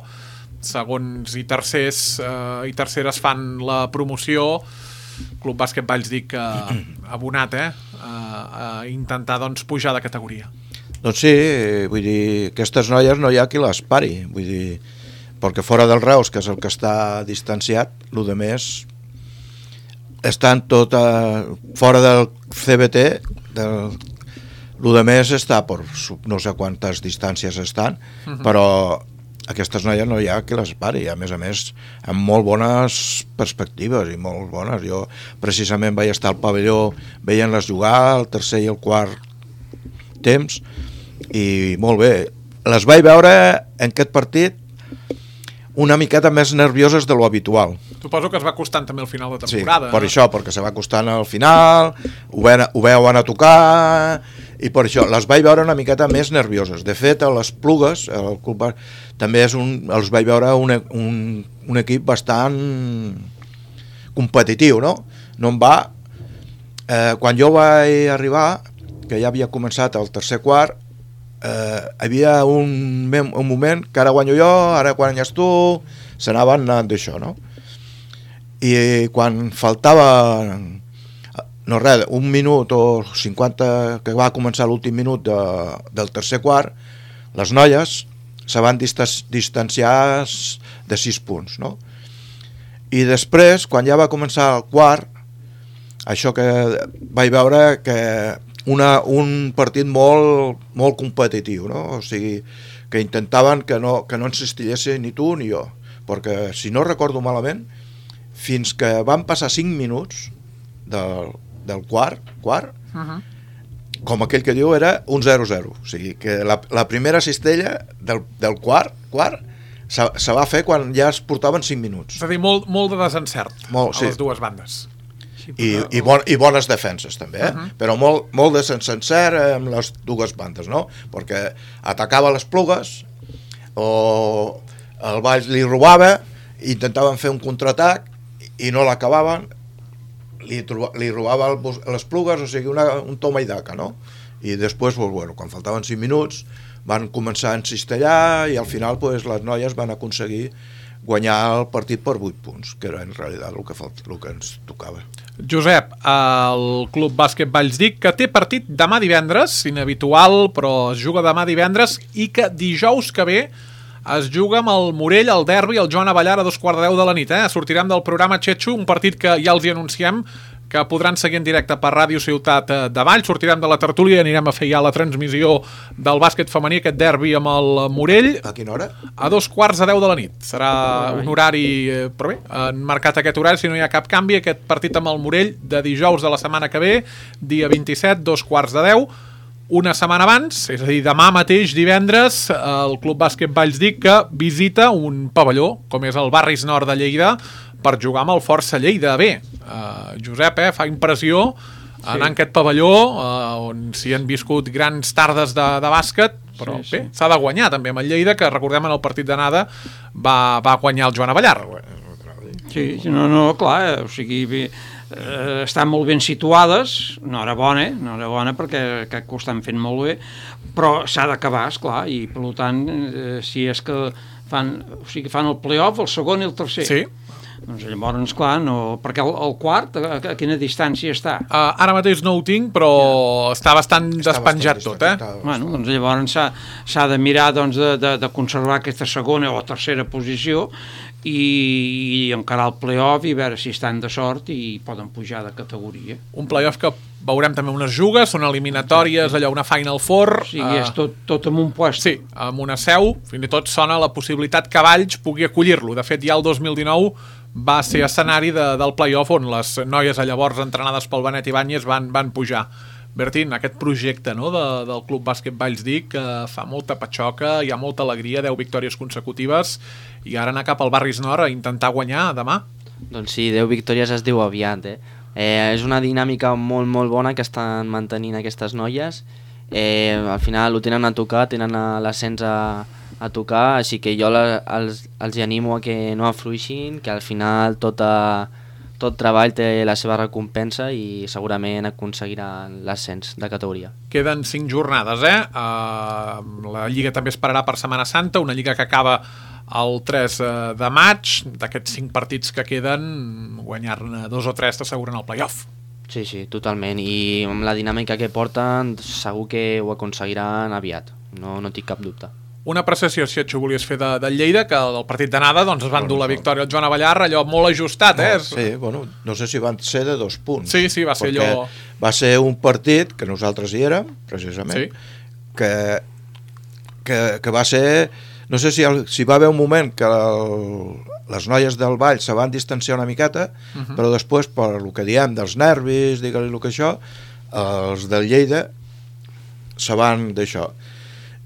segons i tercers eh, i terceres fan la promoció. Club Bàsquet Valls Dic eh, abonat eh? a, a intentar doncs, pujar de categoria. Doncs sí, vull dir, aquestes noies no hi ha qui les pari, vull dir, perquè fora del Reus, que és el que està distanciat, el de més estan tot a, fora del C B T, del, el de més està per no sé quantes distàncies estan, uh-huh. Però aquestes noies no hi ha qui les pari, a més a més amb molt bones perspectives i molt bones. Jo precisament vaig estar al pavelló veient-les jugar el tercer i el quart temps i molt bé. Les vaig veure en aquest partit una miqueta més nervioses de lo habitual. Suposo que es va costant també al final de temporada. Sí, per això, perquè se va costant al final, ho, ven, ho veuen a tocar, i per això les vaig veure una miqueta més nervioses. De fet, a les Plugues, el club també és un, els vaig veure un, un, un equip bastant competitiu, no? No em va... Eh, quan jo vaig arribar, que ja havia començat el tercer quart, eh, hi havia un, un moment que ara guanyo jo, ara guanyes tu, s'anaven anant d'això, no? I quan faltava no res, un minut o cinquanta, que va començar l'últim minut de, del tercer quart, les noies se van distanciar de sis punts, no? I després, quan ja va començar el quart, això que vaig veure que una, un partit molt, molt competitiu, no? O sigui, que intentaven que no, que no insistillessin ni tu ni jo, perquè si no recordo malament, fins que van passar cinc minuts del, del quart, quart uh-huh. Com aquell que diu era un zero zero, o sigui que la, la primera cistella del, del quart, quart se, se va fer quan ja es portaven cinc minuts. És a dir, molt, molt de desencert molt, a sí. les dues bandes. I, i, bon, i bones defenses també, eh? Uh-huh. Però molt, molt de sencer amb les dues bandes, no? Perquè atacava les Plugues o el Valls li robava, intentaven fer un contraatac i no l'acabaven, li, li robava el, les Plugues, o sigui, una, un toma i daca, no? I després, pues, bueno, quan faltaven cinc minuts, van començar a encistellar i al final pues, les noies van aconseguir guanyar el partit per vuit punts, que era en realitat el que, el que ens tocava. Josep, el Club Bàsquet Valls Dic, que té partit demà divendres, inhabitual, però es juga demà divendres, i que dijous que ve es juga amb el Morell, el derbi, el Joan Abellard a dos quarts de deu de la nit. Eh? Sortirem del programa Xetxo, un partit que ja els hi anunciem, que podran seguir en directe per Ràdio Ciutat de Valls. Sortirem de la tertúlia i anirem a fer ja la transmissió del bàsquet femení, aquest derbi amb el Morell. A quina hora? A dos quarts de deu de la nit. Serà un horari, però bé, han marcat aquest horari, si no hi ha cap canvi, aquest partit amb el Morell de dijous de la setmana que ve, dia vint-i-set, dos quarts de deu. Una setmana abans, és a dir, demà mateix, divendres, el Club Bàsquet Valls Dic que visita un pavelló, com és el Barris Nord de Lleida, per jugar amb el Força Lleida. Bé, uh, Josep, eh, fa impressió sí. anar en aquest pavelló uh, on s'hi han viscut grans tardes de, de bàsquet, però sí, sí. bé, s'ha de guanyar també amb el Lleida, que recordem en el partit d'anada va, va guanyar el Joan Avellar. Sí, no, no, clar, o sigui, bé, eh, estan molt ben situades, enhorabona, enhorabona perquè crec que ho estan fent molt bé, però s'ha d'acabar, esclar, i per tant, eh, si és que fan, o sigui, fan el play-off, el segon i el tercer. Sí. Doncs llavors, clar, no, perquè el, el quart, a, a quina distància està? Uh, ara mateix no ho tinc, però ja. està bastant està despenjat bastant tot, eh? Bueno, doncs llavors s'ha de mirar doncs, de, de, de conservar aquesta segona o tercera posició i, i encarar el play-off i veure si estan de sort i poden pujar de categoria. Un play-off que veurem també unes jugues, són eliminatòries, allò, una Final Four. O sigui, uh, és tot, tot en un puesto. Sí, amb una seu, fins i tot sona la possibilitat que Valls pugui acollir-lo. De fet, ja el dos mil dinou va ser escenari de, del play-off on les noies llavors entrenades pel Benet Ibáñez van, van pujar. Bertín, aquest projecte no, de, del Club Bàsquet Valls Dic que fa molta patxoca, hi ha molta alegria, deu victòries consecutives i ara anar cap al Barris Nord a intentar guanyar demà. Doncs sí, deu victòries es diu aviat, eh? eh és una dinàmica molt molt bona que estan mantenint aquestes noies. Eh, al final ho tenen a tocar, tenen l'ascens a a tocar, així que jo la, els, els animo a que no afluixin, que al final tot, a, tot treball té la seva recompensa i segurament aconseguiran l'ascens de categoria. Queden cinc jornades, eh? Uh, la Lliga també esperarà per Setmana Santa, una Lliga que acaba el tres de maig. D'aquests cinc partits que queden, guanyar-ne dos o tres t'asseguren el play-off. Sí, sí, totalment, i amb la dinàmica que porten segur que ho aconseguiran aviat, no, no tinc cap dubte. Una apreciació, si et volies fer de, de Lleida, que el partit d'anada doncs, es van dur la victòria al Joan Avellar, allò molt ajustat, no, eh? Sí, bueno, no sé si van ser de dos punts. Sí, sí, va ser allò... Va ser un partit que nosaltres hi érem, precisament, sí. que, que, que va ser... No sé si, el, si va haver un moment que el, les noies del Vall se van distanciar una miqueta, uh -huh. però després, per el que diem dels nervis, digue-li el que això, els del Lleida se van d'això.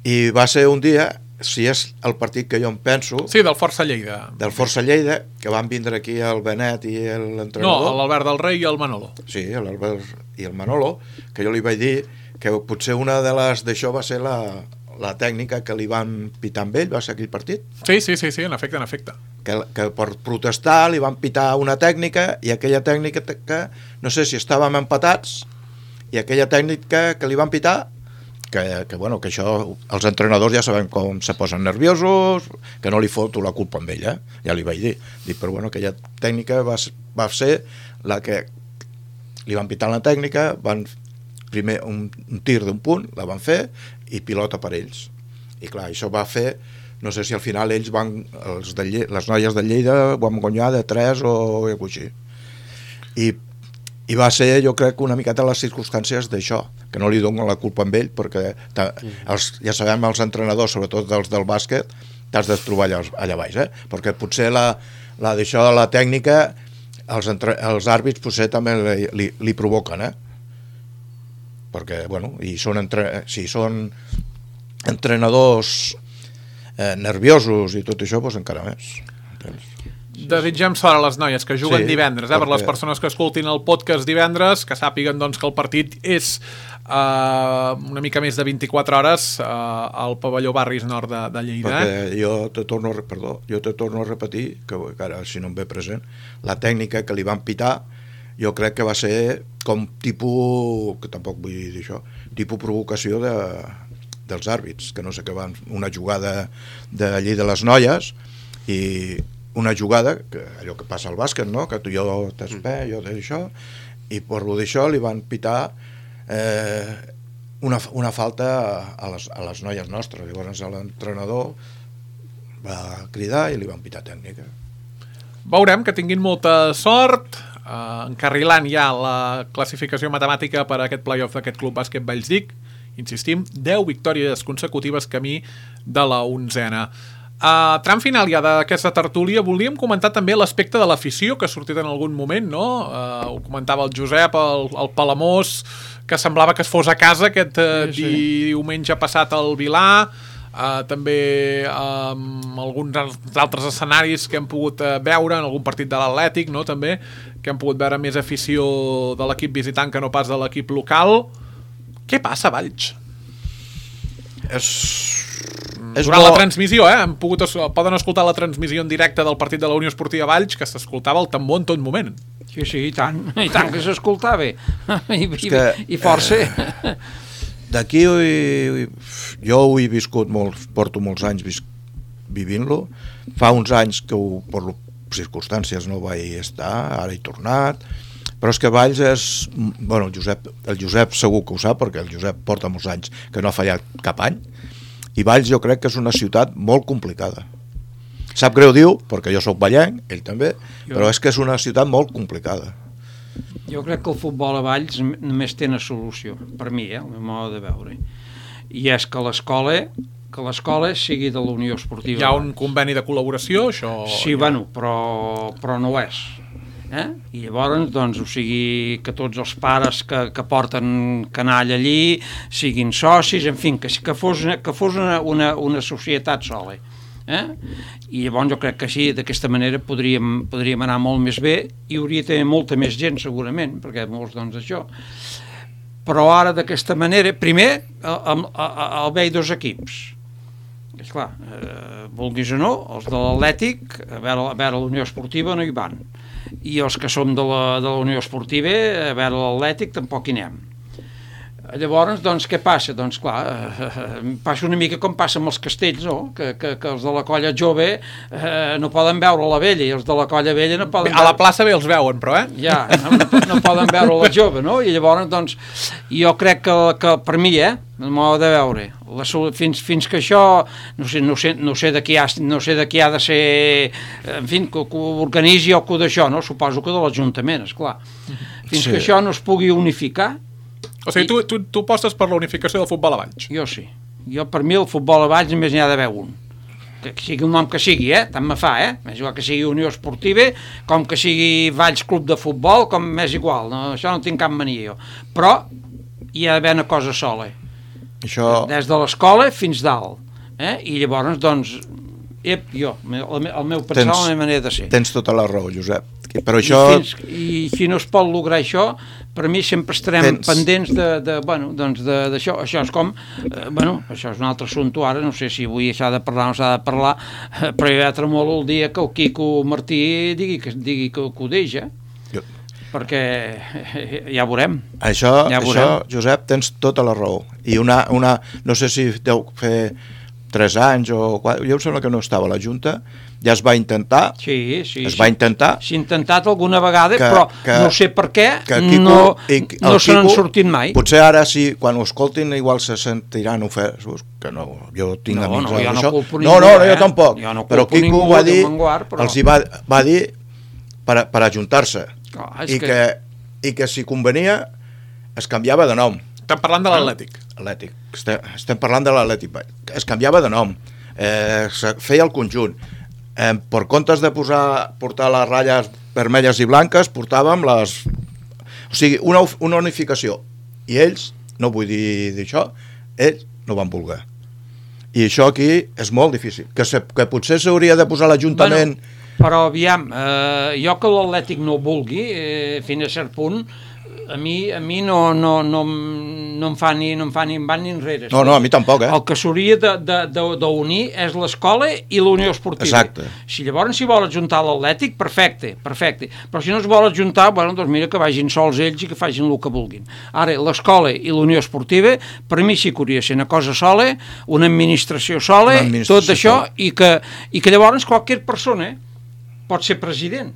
I va ser un dia, si és el partit que jo em penso... Sí, del Força Lleida. Del Força Lleida, que van vindre aquí el Benet i l'entrenador. No, l'Albert del Rei i el Manolo. Sí, l'Albert i el Manolo, que jo li vaig dir que potser una de les d'això va ser la, la tècnica que li van pitar amb ell, va ser aquell partit. Sí, sí, sí, sí, en efecte, en efecte. Que, que per protestar li van pitar una tècnica i aquella tècnica que, no sé si estàvem empatats, i aquella tècnica que li van pitar... Que, que, bueno, que això, els entrenadors ja sabem com se posen nerviosos, que no li foto la culpa amb ella, ja li vaig dir. Dic, però bueno, aquella tècnica va, va ser la que li van pitar la tècnica, van primer un, un tir d'un punt, la van fer, i pilota per ells. I clar, això va fer, no sé si al final ells van, els de Lleida, les noies de Lleida van guanyar de tres o alguna cosa així. I I va ser, jo crec, una miqueta les circumstàncies d'això, que no li dono la culpa amb ell, perquè els, ja sabem, els entrenadors, sobretot els del bàsquet, t'has de trobar allà, allà baix, eh? Perquè potser la, la d'això de la tècnica, els, entre, els àrbits potser també li, li, li provoquen, eh? Perquè, bueno, i són entre, si són entrenadors eh, nerviosos i tot això, doncs encara més. Entens? Desitgem sort a les noies que juguen sí, divendres, eh? Per les perquè... persones que escoltin el podcast divendres, que sàpiguen doncs, que el partit és uh, una mica més de vint-i-quatre hores uh, al pavelló Barris Nord de, de Lleida. Perquè jo te torno, perdó, jo te torno a repetir, que, que ara si no em ve present, la tècnica que li van pitar jo crec que va ser com tipus, que tampoc vull dir això, tipus provocació de, dels àrbits, que no sé què van, una jugada de allí de les noies, i una jugada, que allò que passa al bàsquet, no? Que tu jo t'espè, jo d'això, i per lo d'això li van pitar eh, una, una falta a les, a les noies nostres. Llavors l'entrenador va cridar i li van pitar tècnica. Veurem, que tinguin molta sort, eh, encarrilant ja la classificació matemàtica per a aquest play-off d'aquest Club Bàsquet Valls Dic. Insistim, deu victòries consecutives camí de la onzena. Uh, tram final ja d'aquesta tertúlia, volíem comentar també l'aspecte de l'afició que ha sortit en algun moment, no? Uh, ho comentava el Josep, el, el Palamós, que semblava que es fos a casa aquest uh, sí, sí. diumenge passat al Vilà. uh, també um, alguns altres escenaris que hem pogut uh, veure en algun partit de l'Atlètic, no? També, que hem pogut veure més afició de l'equip visitant que no pas de l'equip local. Què passa, Valls? És... és Durant bo... la transmissió, eh? Hem pogut, poden escoltar la transmissió en directe del partit de la Unió Esportiva Valls, que s'escoltava el tambor en tot moment. Sí, sí, i tant, i tant que s'escoltava. I, i, que, i força. Eh, d'aquí jo ho he viscut molt, porto molts anys vis, vivint-lo. Fa uns anys que ho, per circumstàncies no vaig estar, ara he tornat, però és que Valls és... Bueno, el Josep, el Josep segur que ho sap, perquè el Josep porta molts anys que no ha fallat cap any, i Valls jo crec que és una ciutat molt complicada. Sap greu diu, perquè jo sóc vallenc, ell també, jo. Però és que és una ciutat molt complicada. Jo crec que el futbol a Valls només té una solució, per mi, eh, el meu mode de veure, i és que l'escola que l'escola sigui de la Unió Esportiva. Hi ha un conveni de col·laboració, això... Sí, bueno, però, però no ho és. Eh? I llavors, doncs, o sigui, que tots els pares que, que porten canalla allí siguin socis, en fi, que, que fos, una, que fos una, una, una societat sola. Eh? I llavors jo crec que sí, d'aquesta manera podríem, podríem anar molt més bé i hauria de tenir molta més gent segurament, perquè molts, doncs, això. Però ara d'aquesta manera, primer, el, el, el veig dos equips. És clar, eh, vulguis o no, els de l'Atlètic, a veure, a veure la Unió Esportiva no hi van. I els que som de la, de la Unió Esportiva, a veure l'Atlètic, tampoc hi anem. Llavors, doncs, què passa? Doncs, clar, eh, passa una mica com passa amb els castells, no? Que, que, que els de la colla jove eh, no poden veure la vella, i els de la colla vella no poden... A la plaça bé els veuen, però, eh? Ja, no, no poden veure la jove, no? I llavors, doncs, jo crec que, que per mi, eh, m'ho de veure, la, fins, fins que això, no sé, no sé, no sé, de qui ha, no sé de qui ha de ser, en fi, que, que ho organitzi o que d'això, no? Suposo que de l'Ajuntament, esclar. Fins sí. que això no es pugui unificar. O sigui, tu, tu, tu apostes per la unificació del futbol a Valls? Jo sí. Jo, per mi, el futbol a Valls només n'hi ha d'haver un. Que sigui un nom que sigui, eh? Tant me fa, eh? Més igual que sigui Unió Esportiva, com que sigui Valls Club de Futbol, com m'és igual. No? Això no tinc cap mania, jo. Però hi ha d'haver una cosa sola. Això... Des de l'escola fins dalt. Eh? I llavors, doncs, ep, jo, el, el meu pensar, tens, la meva manera de ser. Tens tota la raó, Josep. Però això... I, fins, I si no es pot lograr això, per mi sempre estarem tens... pendents de, de, bueno, doncs d'això. Això és com, eh, bueno, això és un altre assumpte ara, no sé si avui s'ha de parlar o no s'ha de parlar, eh, però jo ja tremolo el dia que el Quico Martí digui que, digui que, que ho deixa, jo... perquè eh, ja veurem. Això, ja veurem. Això, Josep, tens tota la raó. I una, una, no sé si deu fer tres anys o quatre, jo em sembla que no estava a la Junta, ja es va intentar, sí, sí, es sí. va intentar... S'ha intentat alguna vegada, que, però que, no sé per què Quico, no, i, no se n'han sortit mai. Potser ara, sí, quan ho escoltin, igual se sentiran ofesos, que no, jo tinc no, amics no, jo això. No, culpo no, no, no, jo tampoc. Jo no però Quico ningú, va dir, manguar, però... els hi va, va dir per, per ajuntar-se. Oh, I, que... que, I que si convenia es canviava de nom. Estem parlant de l'Atlètic. Atlètic. Estem, estem parlant de l'Atlètic. Es canviava de nom. Eh, feia el conjunt. Eh, per comptes de posar, portar les ratlles vermelles i blanques, portàvem les... O sigui, una, una unificació. I ells, no vull dir d'això, ells no van voler. I això aquí és molt difícil. Que, se, que potser s'hauria de posar l'Ajuntament... Bueno, però aviam, eh, jo que l'Atlètic no ho vulgui, eh, fins a cert punt, a mi, a mi no, no, no, no em fa ni no em fa ni en van ni enrere. No, no, a mi tampoc, eh? El que s'hauria d'unir és l'escola i la Unió Esportiva. Exacte. Si llavors s'hi vol adjuntar l'Atlètic, perfecte, perfecte. Però si no es vol adjuntar, bueno, doncs mira que vagin sols ells i que facin el que vulguin. Ara, l'escola i la Unió Esportiva, per mi sí que hauria de ser una cosa sola, una administració sola, una administració tot això, sola. I, que, i que llavors qualsevol persona pot ser president.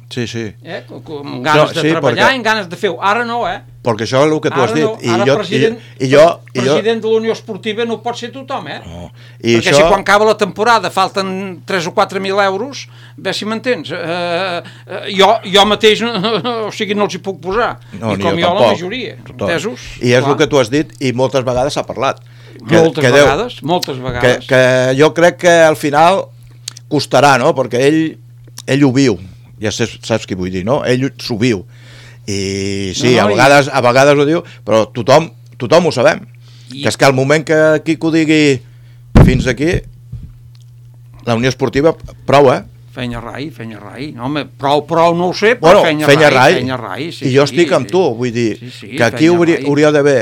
Sí, sí. Eh? Amb ganes no, de sí, treballar i amb ganes de fer-ho. Ara no, eh? Perquè això és el que tu ara has dit. No. I ara jo, president, i, i jo, i president jo... de la Unió Esportiva no pot ser tothom, eh? No. I perquè això... si quan acaba la temporada falten tres o quatre mil euros, bé si m'entens, eh, eh, jo, jo mateix o sigui, no els hi puc posar. No, I com jo, jo la majoria. Entesos? I és clar. El que tu has dit i moltes vegades s'ha parlat. Que, moltes que vegades, deu, moltes vegades. Que, que jo crec que al final costarà, no? Perquè ell, ell ho viu. Ja saps, saps què vull dir, no? Ell s'ho viu. I sí, no, no, a, vegades, i... a vegades ho diu, però tothom, tothom ho sabem. I... Que és que al moment que Quico digui fins aquí la Unió Esportiva prou, eh? Fenya rai, fenya rai. No, home, prou, prou no ho sé, Bueno, però fenya, fenya rai, rai. fenya rai. Sí, I jo sí, estic amb sí. tu, vull dir, Sí, sí, que aquí fenya hauria, rai. hauria d'haver,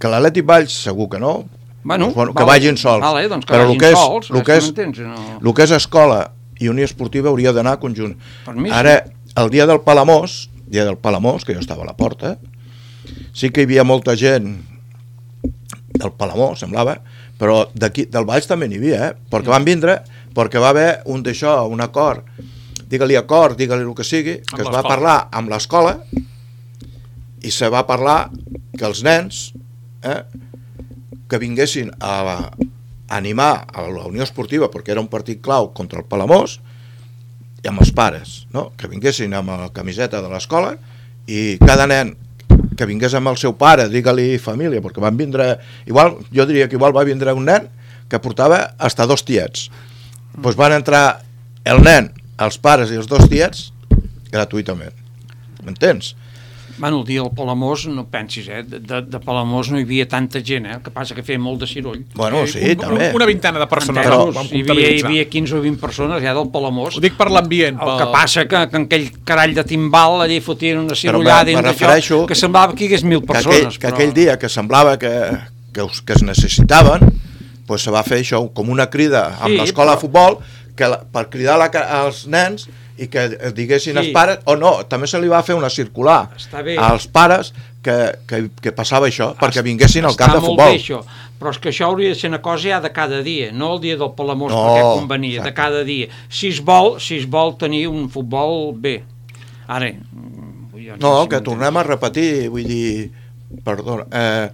que l'Atlètic Valls segur que no, Bueno, doncs, bueno, que vale, vagin sols, vale, doncs que però vagin el que és, sols, el eh, que si és, m'entens, no. el que és escola i Unió Esportiva hauria d'anar conjunt. Per mi sí. Ara, el dia del Palamós, dia del Palamós, que jo estava a la porta, sí que hi havia molta gent del Palamós, semblava, però d'aquí, del Valls també n'hi havia, eh? Perquè van vindre, perquè va haver un d'això, un acord, digue-li acord, digue-li el que sigui, que Amb es va l'escola. parlar amb l'escola i se va parlar que els nens eh, que vinguessin a, a animar a la Unió Esportiva, perquè era un partit clau contra el Palamós, i amb els pares, no? Que vinguessin amb la camiseta de l'escola i cada nen que vingués amb el seu pare, digue-li família, perquè van vindre, igual, jo diria que igual va vindre un nen que portava hasta dos tiets. Doncs van entrar el nen, els pares i els dos tiets gratuïtament. M'entens? Bueno, el dia del Palamós, no pensis, eh? De, de Palamós no hi havia tanta gent, eh? El que passa que feia molt de ciroll. Bueno, sí, un, també. Una vintena de persones Però- ho vam hi, havia, hi comptabilitzar. havia quinze o vint persones ja del Palamós. Ho dic per l'ambient. El que passa que, que en aquell carall de timbal allà fotien una cirollada me dins refereixo d'això que semblava que hi hagués mil que persones. aquell, que aquell dia que semblava que, que, us, que es necessitaven, pues se va fer això com una crida amb Sí, l'escola però- de futbol que la, per cridar la, als nens i que es diguessin Sí. els pares, o no, també se li va fer una circular Està bé. als pares que, que, que passava això, perquè vinguessin al camp de Està molt futbol. bé això, però és que això hauria de ser una cosa ja de cada dia, no el dia del Palamós No, perquè convenia, exacte. de cada dia. Si es vol, si es vol tenir un futbol bé. Ara, mm, vull dir, No, sé si que m'entens. tornem a repetir, vull dir, perdona, eh,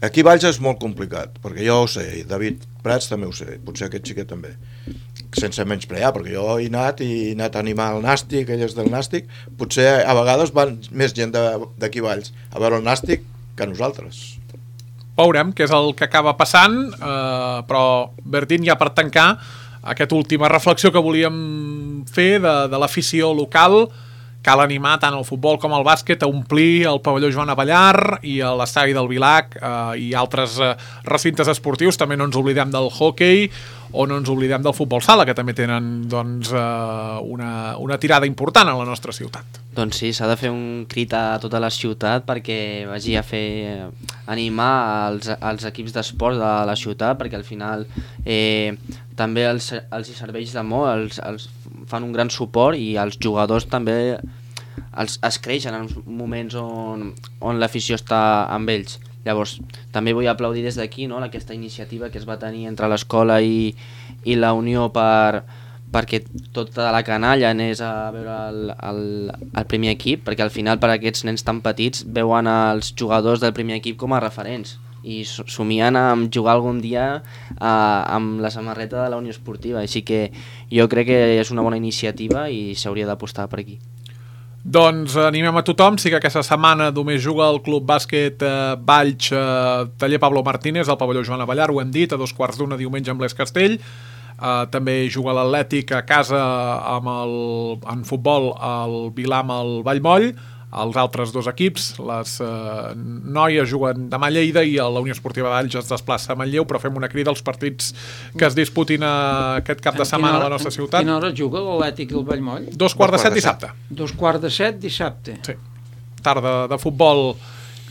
aquí a Valls és molt complicat, perquè jo ho sé, i David Prats també ho sé, potser aquest xiquet també, sense menysprear, perquè jo he anat i he anat a animar el Nàstic, elles del Nàstic, potser a vegades van més gent de- d'aquí a Valls a veure el Nàstic que nosaltres. Veurem què és el que acaba passant, eh, però Bertín, ja per tancar aquesta última reflexió que volíem fer de, de l'afició local, cal animar tant el futbol com el bàsquet a omplir el pavelló Joan Avellar i a l'estadi del Vilac eh, i altres eh, recintes esportius. També no ens oblidem del hoquei o no ens oblidem del futbol sala, que també tenen doncs, eh, una, una tirada important a la nostra ciutat. Doncs sí, s'ha de fer un crit a tota la ciutat perquè vagi a fer animar els, els equips d'esport de la ciutat, perquè al final eh, també els, els hi serveix de molt, els, els fan un gran suport i els jugadors també els, es creixen en moments on, on l'afició està amb ells. Llavors, també vull aplaudir des d'aquí, no?, aquesta iniciativa que es va tenir entre l'escola i, i la Unió per, perquè tota la canalla anés a veure el, el, el primer equip, perquè al final per a aquests nens tan petits veuen els jugadors del primer equip com a referents i somien amb jugar algun dia eh, amb la samarreta de la Unió Esportiva, així que jo crec que és una bona iniciativa i s'hauria d'apostar per aquí. Doncs animem a tothom, sí que aquesta setmana només juga el Club Bàsquet eh, Valls eh, Taller Pablo Martínez al pavelló Joan Avellar, ho hem dit, a dos quarts d'una diumenge amb l'Es Castell. Uh, també juga l'Atlètic a casa amb el, en futbol al Vilar amb el Vallmoll. Els altres dos equips, les uh, noies juguen demà a Lleida i la Unió Esportiva de Valls es desplaça a Manlleu, però fem una crida als partits que es disputin uh, aquest cap de setmana a la nostra ciutat. A quina hora juga l'Atlètic i el Vallmoll? Dos quarts de set dissabte. Dos quarts de set dissabte. Sí. Tarda de futbol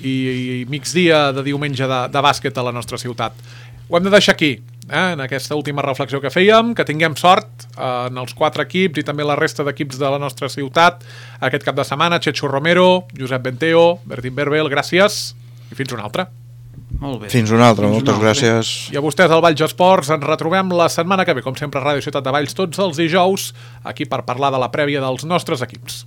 i, i migdia de diumenge de, de bàsquet a la nostra ciutat. Ho hem de deixar aquí, eh, en aquesta última reflexió que fèiem, que tinguem sort eh, en els quatre equips i també la resta d'equips de la nostra ciutat aquest cap de setmana. Chechu Romero, Josep Benteo, Bertín Berbel, gràcies i fins una altra. Molt bé. Fins una altra, Fins moltes una altra. gràcies. I a vostès al Valls Esports ens retrobem la setmana que ve, com sempre a Ràdio Ciutat de Valls, tots els dijous, aquí per parlar de la prèvia dels nostres equips.